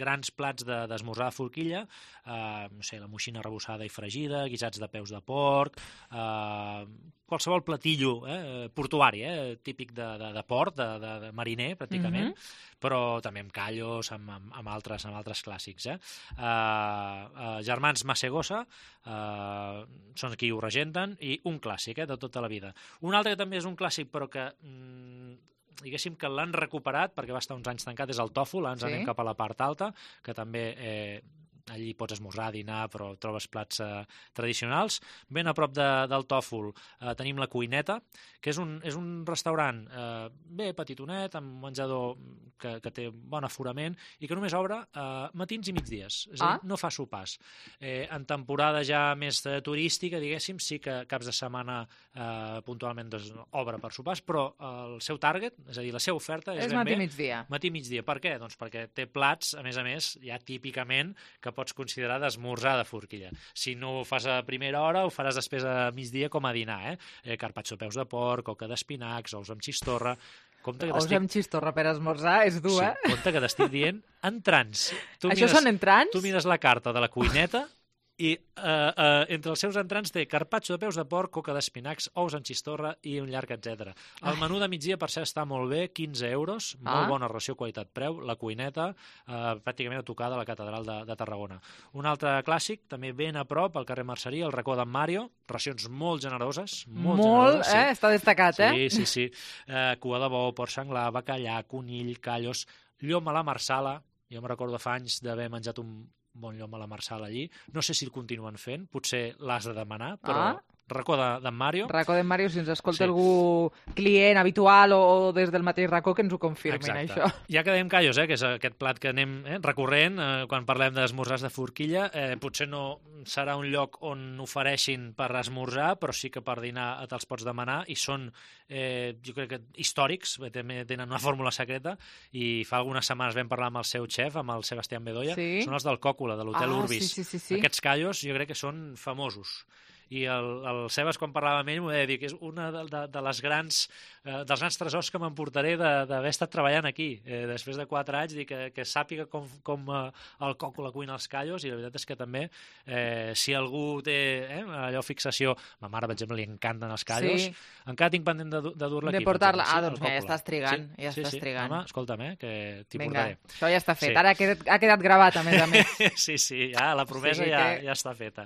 grans plats d'esmorzar de forquilla, la moixina arrebossada i fregida, guisats de peus de porc, qualsevol platillo portuari, típic de port, de mariner, pràcticament, però també amb callos, amb altres clàssics. Germans Masegosa són qui ho regenten, i un clàssic de tota la vida. Un altre que també és un clàssic, però que diguéssim que l'han recuperat perquè va estar uns anys tancat, és el Tòfol. Ens anem cap a la part alta, que també allí pots esmorzar, dinar, però trobes plats tradicionals. Ben a prop del Tòfol tenim la Cuineta, que és un restaurant petitonet, amb menjador que té bon aforament i que només obre matins i migdies, és a dir, no fa sopars. En temporada ja més turística, diguéssim, sí que caps de setmana puntualment obre per sopars, però el seu target, és a dir, la seva oferta és ben bé matí-migdia. Matí-migdia. Per què? Doncs perquè té plats, a més, ja típicament, que que pots considerar d'esmorzar de forquilla. Si no ho fas a primera hora, ho faràs després a migdia com a dinar, carpaccio de peus de porc, coca d'espinacs, ous amb xistorra... Ous amb xistorra per esmorzar és dur, Sí, compte que t'estic dient entrants. Això són entrants? Tu mires la carta de la cuineta i entre els seus entrants té carpaccio de peus de porc, coca d'espinacs, ous amb xistorra i un llarg, etc. El menú de migdia, per cert, està molt bé, 15 euros, molt bona relació qualitat-preu, la cuineta, pràcticament a tocar de la catedral de Tarragona. Un altre clàssic, també ben a prop, al carrer Merceria, el racó d'en Mario, racions molt generoses, molt generoses, està destacat, Sí. Cua de bou, porc senglar, bacallà, conill, callos, llom a la marsala. Jo me recordo fa anys d'haver menjat un bon llom a la marsala allí. No sé si el continuen fent, potser l'has de demanar, però racó d'en Mario. Racó d'en Mario, si ens escolta algú client habitual o des del mateix racó, que ens ho confirmin, això. Ja que dèiem callos, que és aquest plat que anem recurrent quan parlem d'esmorzars de forquilla, potser no serà un lloc on ofereixin per esmorzar, però sí que per dinar te'ls pots demanar, i són, jo crec que històrics, també tenen una fórmula secreta, i fa algunes setmanes vam parlar amb el seu xef, amb el Sebastián Bedoya, són els del Còcula, de l'Hotel Urbis. Sí. Aquests callos jo crec que són famosos. I el Sebas, quan parlava amb ell, m'ho deia dir que és una de les grans dels grans tresors que m'emportaré d'haver estat treballant aquí. Després de 4 anys, dir que sàpiga com el Còcula cuina els callos, i la veritat és que també, si algú té allò fixació, ma mare, per exemple, li encanten els callos, encara tinc pendent de dur-la aquí. De portar-la. Doncs ja estàs trigant. Sí. Home, escolta'm, que t'hi portaré. Això ja està fet. Ara ha quedat gravat, a més. Sí, ja, la promesa ja està feta.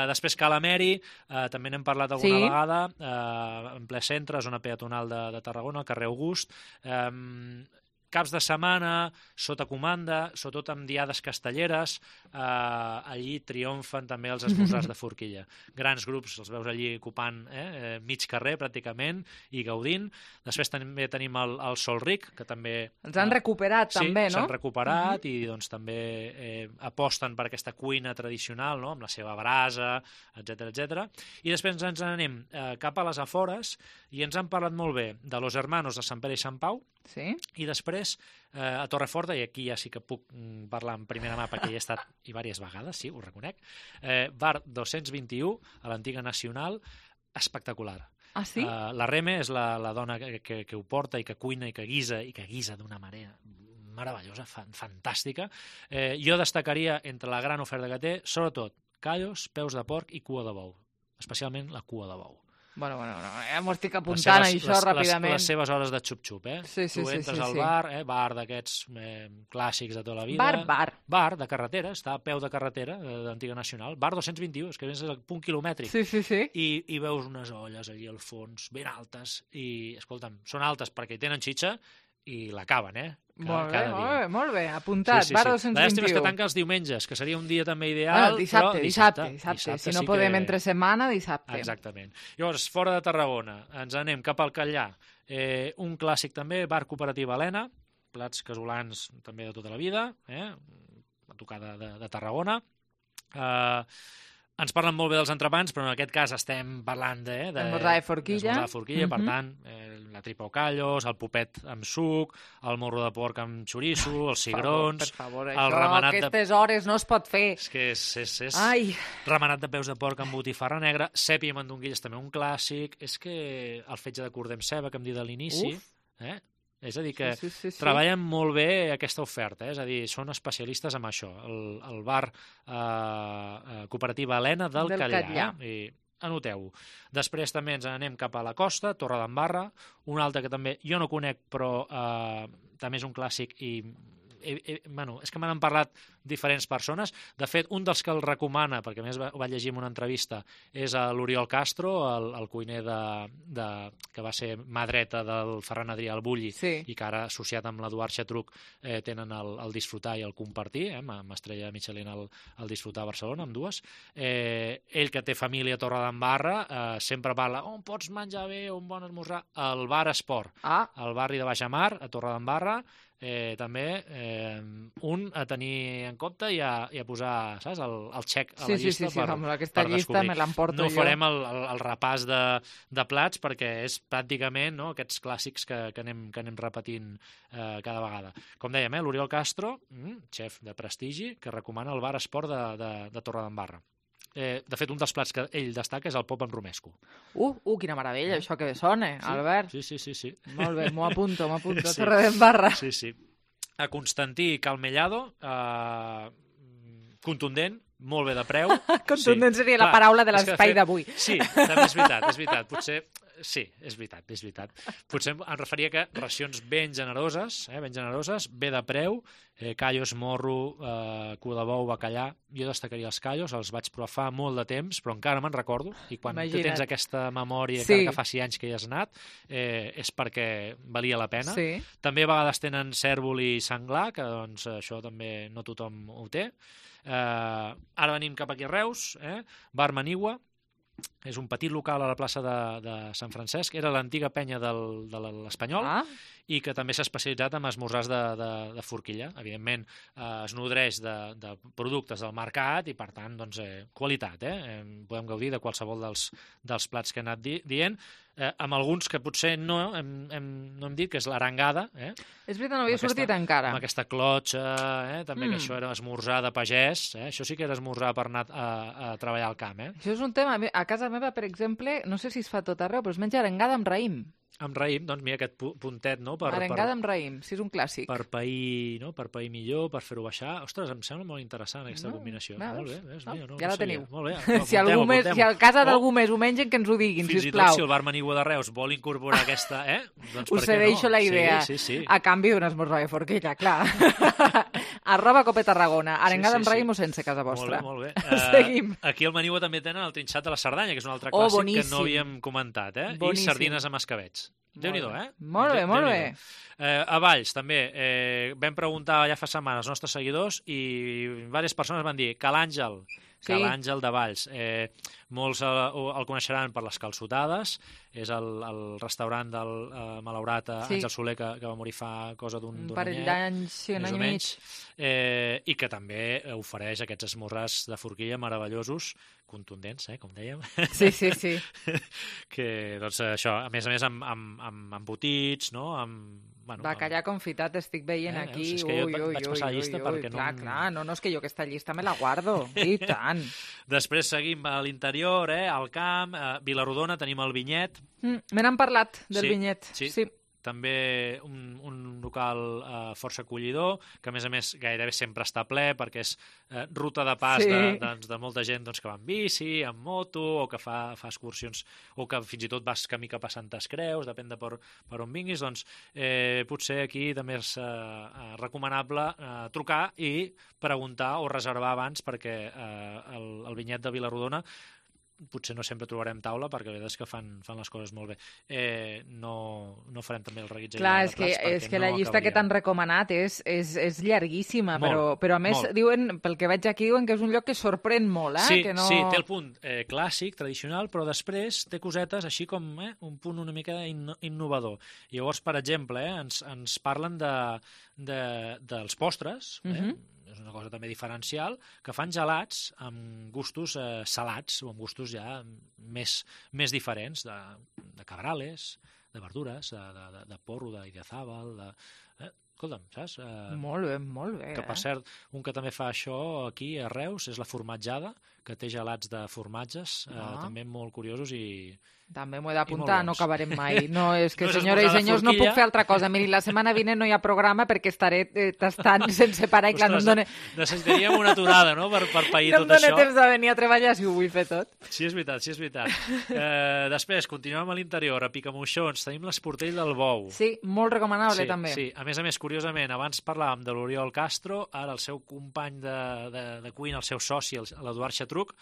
Després Calameri, també n'hem parlat alguna vegada, en ple centre, zona peatonal de Tarragona, al carrer August. Caps de setmana, sota comanda, sobretot amb diades castelleres, allí triomfen també els esmorzars de forquilla. Grans grups, els veus allí ocupant mig carrer, pràcticament, i gaudint. Després també tenim el Sol Ric, que també... Els han recuperat, també, no? Sí, s'han recuperat, i doncs també aposten per aquesta cuina tradicional, no?, amb la seva brasa, etc. I després ens anem cap a les afores, i ens han parlat molt bé de Los Hermanos de Sant Pere i Sant Pau, i després a Torreforta, i aquí ja sí que puc parlar en primera mà perquè hi he estat i diverses vegades, sí, ho reconec, bar 221 a l'antiga Nacional, espectacular. Ah, sí? La Reme és la dona que ho porta i que cuina i que guisa d'una manera meravellosa, fantàstica. Jo destacaria entre la gran oferta que té, sobretot callos, peus de porc i cua de bou, especialment la cua de bou. Bueno, ja m'ho estic apuntant, això, ràpidament. Les seves hores de xup-xup, Sí. Tu entres al bar, bar d'aquests clàssics de tota la vida. Bar de carretera, està a peu de carretera, d'Antiga Nacional. Bar 221, és que és el punt quilomètric. Sí. I veus unes olles allí al fons, ben altes, i, escolta'm, són altes perquè tenen xitxa i l'acaben, Molt bé, apuntat, bar 221. La llàstima és que tanca els diumenges, que seria un dia també ideal. Dissabte. Si no podem entre setmana, dissabte. Exactament. Llavors, fora de Tarragona, ens anem cap al Catllà. Un clàssic també, bar cooperativa Helena, plats casolans també de tota la vida, a tocar de Tarragona. Ens parlen molt bé dels entrepans, però en aquest cas estem parlant d'esmorzar de forquilla. Per tant, la tripa o callos, el popet amb suc, el morro de porc amb xoriço, els cigrons... Per favor, això a aquestes hores no es pot fer. És que és remenat de peus de porc amb botifarra negra, sèpia i mandonguilles, també un clàssic. És que el fetge de cordem ceba, que em dit a l'inici... És a dir, que treballen molt bé aquesta oferta, és a dir, són especialistes en això, el bar cooperativa Helena del Catllà. I anoteu-ho. Després també ens anem cap a la costa, Torredembarra, un altre que també jo no conec, però també és un clàssic i... és que m'han parlat diferents persones. De fet, un dels que el recomana, perquè a més ho vaig llegir en una entrevista, és l'Oriol Castro, el cuiner que va ser mà dreta del Ferran Adrià al Bulli, i que ara, associat amb l'Eduard Xatruc, tenen el disfrutar i el compartir, amb estrella Michelin el disfrutar a Barcelona, amb dues. Ell, que té família a Torredembarra, sempre parla on pots menjar bé, un bon esmorzar, al Bar Esport, al barri de Baixamar, a Torredembarra, també un a tenir en compte i a posar, saps, el xec a la llista. Sí, amb aquesta llista me l'emporto jo. No farem el repàs de plats perquè és pràcticament aquests clàssics que anem repetint cada vegada. Com dèiem, l'Oriol Castro, xef de prestigi, que recomana el bar esport de Torredembarra. De fet, un dels plats que ell destaca és el pop amb romesco. Quina meravella, això que bé sona, Albert. Sí. Molt bé, m'ho apunto, Torredembarra. Sí. A Constantí Calmellado, contundent, molt bé de preu. Contundent seria la paraula de l'espai d'avui. Sí, també és veritat. Potser... Sí, és veritat. Potser em referia que racions ben generoses, bé de preu, callos, morro, cua de bou, bacallà. Jo destacaria els callos, els vaig provar fa molt de temps, però encara me'n recordo, i quan tu tens aquesta memòria, encara que faci anys que hi has anat, és perquè valia la pena. Sí. També a vegades tenen cèrvol i senglar, que doncs això també no tothom ho té. Ara venim cap aquí a Reus, Bar Manigua. És un petit local a la plaça de Sant Francesc, era l'antiga penya de l'Espanyol, i que també s'ha especialitzat en esmorzars de forquilla. Evidentment, es nodreix de productes del mercat i, per tant, doncs, qualitat. Podem gaudir de qualsevol dels plats que he anat dient, amb alguns que potser no hem dit, que és l'arengada. És veritat, no havia sortit encara. Amb aquesta clotxa, també que això era esmorzar de pagès. Això sí que era esmorzar per anar a treballar al camp. Això és un tema. A casa meva, per exemple, no sé si es fa tot arreu, però es menja arengada amb raïm. Amb raïm, doncs mira aquest puntet, no? Arengada amb raïm, sí, és un clàssic. Per pair millor, per fer-ho baixar. Ostres, em sembla molt interessant aquesta combinació. Molt bé, ja la teniu. Molt bé. Si a casa d'algú més ho mengen, que ens ho diguin, sisplau. Fins i tot si el Bar Manigua de Reus vol incorporar aquesta, doncs us cedeixo la idea. Sí. A canvi d'un esmorzar de forquilla, clar. @Cope Tarragona. Arengada amb raïm o sense, casa vostra. Molt bé. Seguim. Aquí al Manigua també tenen el trinxat de la Cerdanya, que és un altre clàssic que no havíem comentat. I sardines amb escabets. Déu-n'hi-do, Molt bé. A Valls, també, vam preguntar ja fa setmanes als nostres seguidors i diverses persones van dir Ca l'Àngel de Valls. Molts el coneixeran per les calçotades, és el restaurant del malaurat Àngel Soler, que va morir fa cosa d'un parell d'anys, un any i mig. I que també ofereix aquests esmorzars de forquilla meravellosos, contundents, com dèiem. Sí. Que, doncs, això, a més amb embotits, no? Bacallà confitat estic veient aquí. És que jo vaig passar la llista perquè no... Clar, no, és que jo aquesta llista me la guardo, i tant. Després seguim a l'interior, al camp, a Vilarrodona tenim el Vinyet. Me n'han parlat del Vinyet, sí. També un local força acollidor, que a més gairebé sempre està ple perquè és ruta de pas de molta gent que va amb bici, amb moto, o que fa excursions, o que fins i tot vas camí cap a Santes Creus, depèn de per on vinguis, doncs potser aquí també és recomanable trucar i preguntar o reservar abans, perquè el Vinyet de Vilarrodona potser no sempre trobarem taula, perquè la veritat és que fan les coses molt bé. No farem també el reguitzell de plats. Clar, és que la llista que t'han recomanat és llarguíssima, però a més, diuen, pel que veig aquí, diuen que és un lloc que sorprèn molt. Sí, que no... sí, té el punt clàssic, tradicional, però després té cosetes així com un punt una mica innovador. Llavors, per exemple, ens parlen dels postres, és una cosa també diferencial, que fan gelats amb gustos salats o amb gustos ja més diferents, de cabrales, de verdures, de porro, d'idiazàbal, escolta'm, saps? Molt bé. Que, per cert, un que també fa això aquí a Reus és la formatjada, que té gelats de formatges, també molt curiosos i... També m'ho he d'apuntar, no acabarem mai. No, és que, senyores i senyors, no puc fer altra cosa. Miri, la setmana vinent no hi ha programa perquè estaré tastant sense parar i clar, no em dóna... Necessitaríem una aturada, no?, per pair tot això. No em dóna temps de venir a treballar si ho vull fer tot. Sí, és veritat. Després, continuem a l'interior, a Picamoixons, tenim l'Esportell del Bou. Sí, molt recomanable, també. Sí, a més, curiosament, abans parlàvem de l'Oriol Castro, ara el seu company de cuina, el seu soci, l'Eduard Xatruc,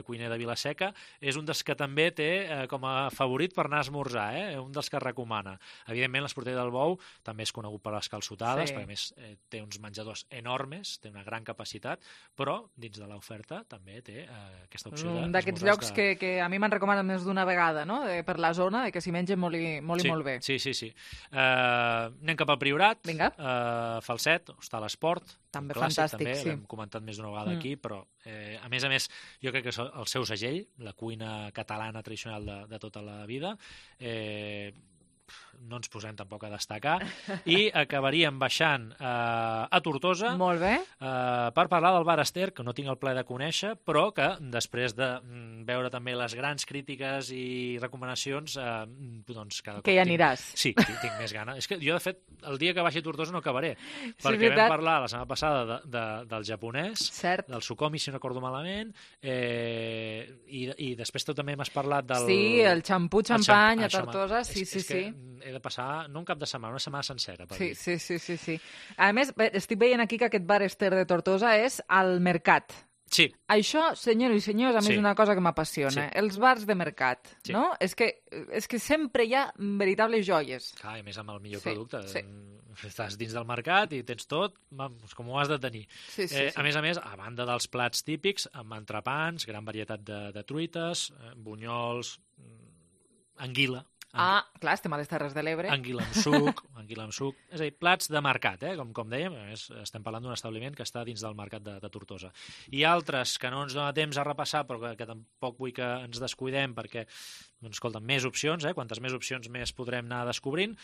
cuiner de Vilaseca, és un dels que també té com a favorit per anar a esmorzar, un dels que recomana. Evidentment, l'Esportell del Bou també és conegut per les calçotades, perquè a més té uns menjadors enormes, té una gran capacitat, però dins de l'oferta també té aquesta opció d'esmorzars. Un d'aquests llocs que a mi m'han recomanat més d'una vegada, no? Per la zona, que s'hi menja molt bé. Sí. Anem cap al Priorat. Vinga. Falset, Hostal Esport. També clàssic, fantàstic, també, l'hem comentat més d'una vegada aquí, però a més, jo crec que és el seu segell, la cuina catalana tradicional de tota la vida. No ens posem tampoc a destacar, i acabaríem baixant a Tortosa. Molt bé. Per parlar del Bar Ester, que no tinc el plaer de conèixer, però que després de veure també les grans crítiques i recomanacions, doncs cada cop que hi aniràs. Sí, tinc més gana. És que jo, de fet, el dia que baixi a Tortosa no acabaré, perquè vam parlar la setmana passada del japonès, del Sukomi, si no recordo malament, i després tu també m'has parlat del... Sí, el xampú xampany a Tortosa, sí. He de passar, no un cap de setmana, una setmana sencera. Sí. A més, estic veient aquí que aquest Bar Ester de Tortosa és al mercat. Sí. Això, senyors i senyors, a mi és una cosa que m'apassiona. Els bars de mercat, no? És que sempre hi ha veritables joies. Clar, a més amb el millor producte. Estàs dins del mercat i tens tot, com ho has de tenir. A més, a banda dels plats típics, amb entrepans, gran varietat de truites, bunyols, anguila. Clar, estem a les Terres de l'Ebre. Anguila amb suc. És a dir, plats de mercat, com dèiem. A més, estem parlant d'un establiment que està dins del mercat de Tortosa. I altres que no ens dona temps a repassar, però que tampoc vull que ens descuidem, perquè, doncs, escolta, més opcions, quantes més opcions més podrem anar descobrint.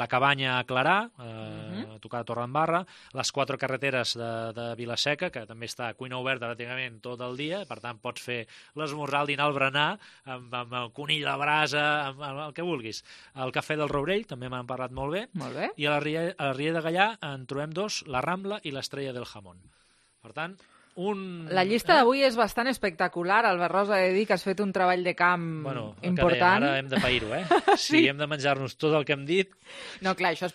La Cabanya a Clarà, a tocar de Torredembarra, les 4 carreteres de Vilaseca, que també està a cuina oberta pràcticament tot el dia, per tant pots fer l'esmorzar, el dinar, el berenar, amb el conill a la brasa, amb el que vulguis. El Cafè del Rourell també m'han parlat molt bé. Molt bé. I a la Riera de Gallà en trobem 2, la Rambla i l'Estrella del Jamón. Per tant, La llista d'avui és bastant espectacular. Albert Rosa, he de dir que has fet un treball de camp important. Ara hem de pair-ho, Si hem de menjar-nos tot el que hem dit... No, clar, això és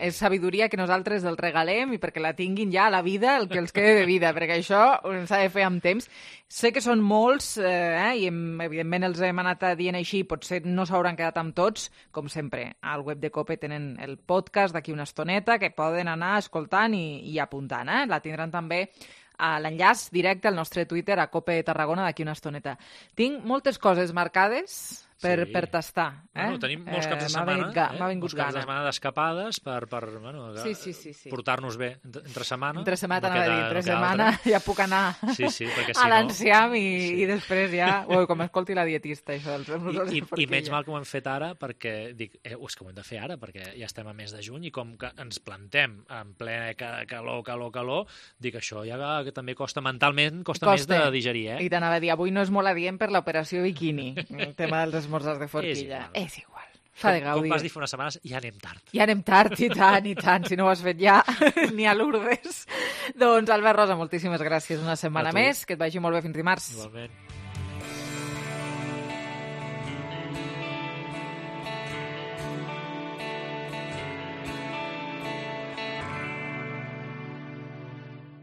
és sabidoria que nosaltres el regalem i perquè la tinguin ja a la vida, el que els quede de vida, perquè això s'ha de fer amb temps. Sé que són molts, i evidentment els hem anat dient així, potser no s'hauran quedat amb tots, com sempre. Al web de COPE tenen el podcast d'aquí una estoneta que poden anar escoltant i apuntant. La tindran també a l'enllaç directe al nostre Twitter, a COPE Tarragona, d'aquí una estoneta. Tinc moltes coses marcades per tastar. Tenim molts caps de setmana, molts caps de setmana d'escapades per portar-nos bé entre setmana. Entre setmana, t'anava a dir, entre setmana ja puc anar a l'enciam i després ja... Com escolti la dietista, això dels esmorzars de forquilla. I menys mal que ho hem fet ara, perquè dic, és que ho hem de fer ara, perquè ja estem a mes de juny i com que ens plantem en ple calor, dic, això ja que també costa mentalment, costa més de digerir, I t'anava a dir, avui no és molt adient per l'operació biquini, el tema dels esmorzars de forquilla. És igual. S'ha de gaudir. Com vas dir fa unes setmanes, ja anem tard. Ja anem tard, i tant. Si no ho has fet ja, ni a Lourdes. Doncs, Albert Rosa, moltíssimes gràcies una setmana més. Que et vagi molt bé fins dimarts. Igualment.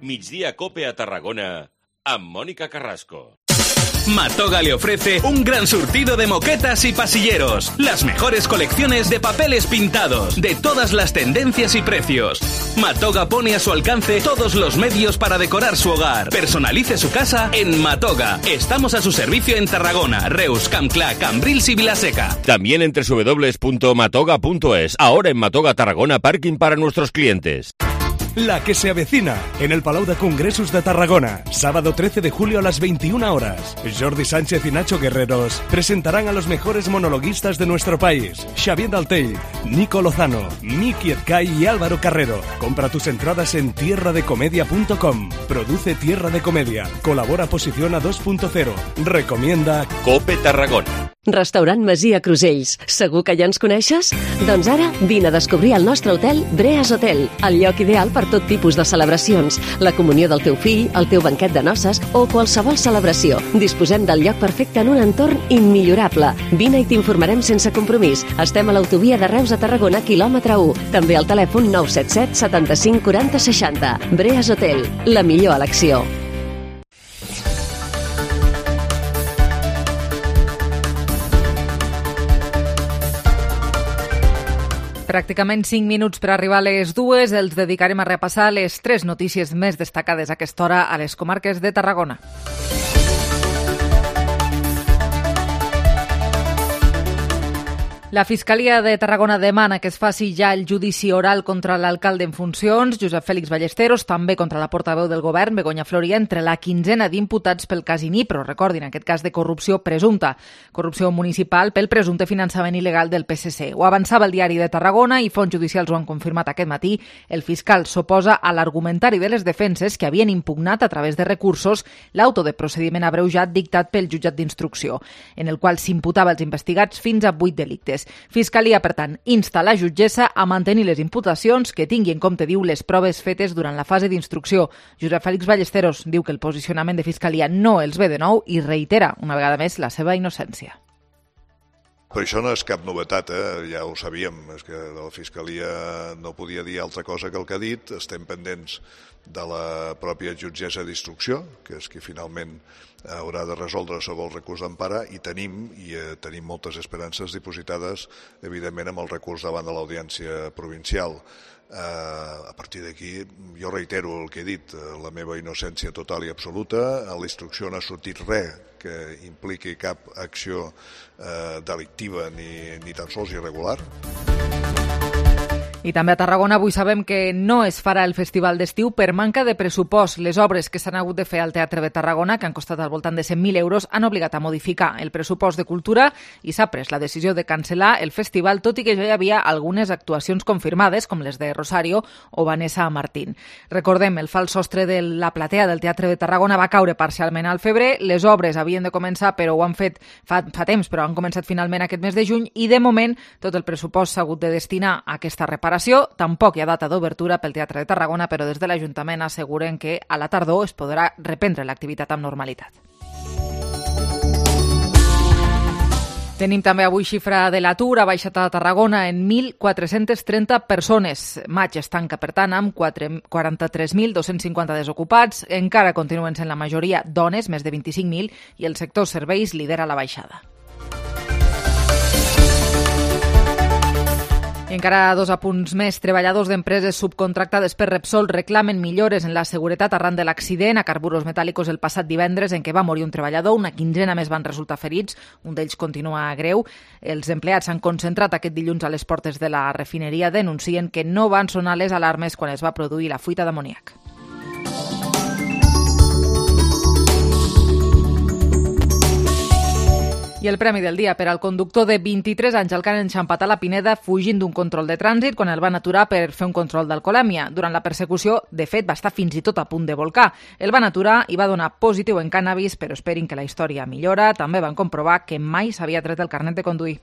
Migdia Cope a Tarragona amb Mónica Carrasco. Matoga le ofrece un gran surtido de moquetas y pasilleros, las mejores colecciones de papeles pintados, de todas las tendencias y precios. Matoga pone a su alcance todos los medios para decorar su hogar. Personalice su casa en Matoga. Estamos a su servicio en Tarragona, Reus, Campclà, Cambrils y Vilaseca. También en www.matoga.es. Ahora en Matoga Tarragona, parking para nuestros clientes. La que se avecina en el Palau de Congresos de Tarragona, sábado 13 de julio a las 21 horas. Jordi Sánchez y Nacho Guerreros presentarán a los mejores monologuistas de nuestro país. Xavier Daltell, Nico Lozano, Miki Edcay y Álvaro Carrero. Compra tus entradas en tierradecomedia.com. Produce Tierra de Comedia. Colabora Posiciona 2.0. Recomienda COPE Tarragona. Restaurant Masia Crusells. Segur que ja ens coneixes? Doncs ara vine a descobrir el nostre hotel Breas Hotel, el lloc ideal per tot tipus de celebracions, la comunió del teu fill, el teu banquet de noces o qualsevol celebració. Disposem del lloc perfecte en un entorn immillorable. Vine i t'informarem sense compromís. Estem a l'autovia de Reus a Tarragona, quilòmetre 1. També al telèfon 977 75 40 60. Breas Hotel, la millor elecció. Pràcticament 5 minuts per arribar a les 2. Els dedicarem a repassar les 3 notícies més destacades a aquesta hora a les comarques de Tarragona. La Fiscalia de Tarragona demana que es faci ja el judici oral contra l'alcalde en funcions, Josep Fèlix Ballesteros, també contra la portaveu del govern, Begoña Floria, entre la quinzena d'imputats pel cas Inipro, recordin, aquest cas de corrupció presumpta, corrupció municipal pel presumpte finançament il·legal del PSC. Ho avançava el diari de Tarragona i fonts judicials ho han confirmat aquest matí. El fiscal s'oposa a l'argumentari de les defenses que havien impugnat a través de recursos l'auto de procediment abreujat dictat pel jutjat d'instrucció, en el qual s'imputava als investigats fins a 8 delictes. Fiscalia, per tant, insta la jutgessa a mantenir les imputacions que tingui en compte, diu, les proves fetes durant la fase d'instrucció. Josep Fèlix Ballesteros diu que el posicionament de Fiscalia no els ve de nou i reitera una vegada més la seva innocència. Però això no és cap novetat, ja ho sabíem, és que la Fiscalia no podia dir altra cosa que el que ha dit. Estem pendents de la pròpia jutgessa d'instrucció, que és qui finalment haurà de resoldre sobre el recurs d'empara, i tenim moltes esperances dipositades, evidentment, amb el recurs davant de l'Audiència Provincial. A partir d'aquí, jo reitero el que he dit, la meva innocència total i absoluta. A la instrucció no ha sortit res que impliqui cap acció delictiva ni tan sols irregular. I també a Tarragona avui sabem que no es farà el festival d'estiu per manca de pressupost. Les obres que s'han hagut de fer al Teatre de Tarragona, que han costat al voltant de 100.000 euros, han obligat a modificar el pressupost de cultura i s'ha pres la decisió de cancel·lar el festival, tot i que ja hi havia algunes actuacions confirmades, com les de Rosario o Vanessa Martín. Recordem, el fals sostre de la platea del Teatre de Tarragona va caure parcialment al febrer. Les obres havien de començar, però ho han fet fa temps, però han començat finalment aquest mes de juny, i de moment tot el pressupost s'ha hagut de destinar a aquesta reparació. Tampoc hi ha data d'obertura pel Teatre de Tarragona, però des de l'Ajuntament asseguren que a la tardor es podrà reprendre l'activitat amb normalitat. Tenim també avui xifra de l'atur, ha baixat a Tarragona en 1.430 persones. Maig es tanca, per tant, amb 43.250 desocupats. Encara continuen sent la majoria dones, més de 25.000, i el sector serveis lidera la baixada. I encara 2 apunts més. Treballadors d'empreses subcontractades per Repsol reclamen millores en la seguretat arran de l'accident a Carburos Metàl·licos el passat divendres en què va morir un treballador. Una quinzena més van resultar ferits. Un d'ells continua greu. Els empleats s'han concentrat aquest dilluns a les portes de la refineria. Denuncien que no van sonar les alarmes quan es va produir la fuita d'amoníac. I el premi del dia per al conductor de 23 anys al Can Enxampat a la Pineda fugint d'un control de trànsit quan el van aturar per fer un control d'alcoholèmia. Durant la persecució, de fet, va estar fins i tot a punt de volcar. El van aturar i va donar positiu en cànnabis, però esperin que la història millora. També van comprovar que mai s'havia tret el carnet de conduir.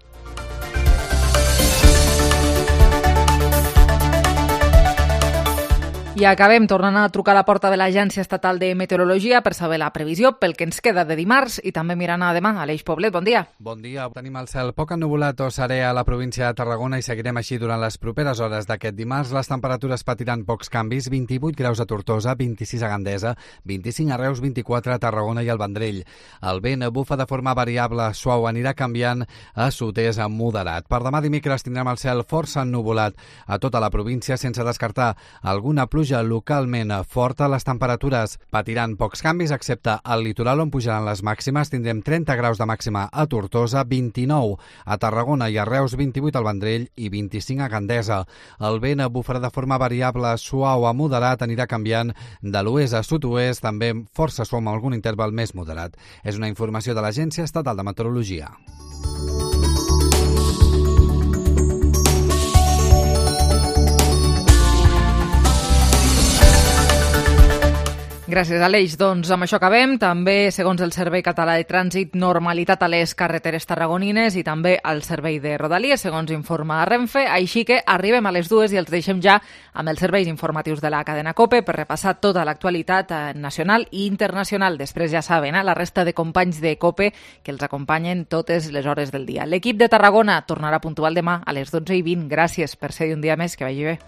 I acabem tornant a trucar a la porta de l'Agència Estatal de Meteorologia per saber la previsió pel que ens queda de dimarts i també mirant a demà. Aleix Poblet, bon dia. Bon dia. Tenim el cel poc ennuvolat o serè a la província de Tarragona i seguirem així durant les properes hores d'aquest dimarts. Les temperatures patiran pocs canvis, 28 graus a Tortosa, 26 a Gandesa, 25 a Reus, 24 a Tarragona i al Vendrell. El vent bufa de forma variable, suau, anirà canviant a sud-est a moderat. Per demà dimecres tindrem el cel força ennuvolat a tota la província sense descartar alguna pluja localment forta. Les temperatures patiran pocs canvis, excepte al litoral on pujaran les màximes. Tindrem 30 graus de màxima a Tortosa, 29 a Tarragona i a Reus, 28 al Vendrell i 25 a Gandesa. El vent bufarà de forma variable, suau a moderat, anirà canviant de l'oest a sud-oest, també força suau amb algun interval més moderat. És una informació de l'Agència Estatal de Meteorologia. Gràcies, Aleix. Doncs amb això acabem. També, segons el Servei Català de Trànsit, normalitat a les carreteres tarragonines i també al servei de Rodalies, segons informa Renfe. Així que arribem a les 2 i els deixem ja amb els serveis informatius de la cadena COPE per repassar tota l'actualitat nacional i internacional. Després, ja saben, la resta de companys de COPE que els acompanyen totes les hores del dia. L'equip de Tarragona tornarà puntual demà a les 12:20. Gràcies per ser un dia més. Que vagi bé.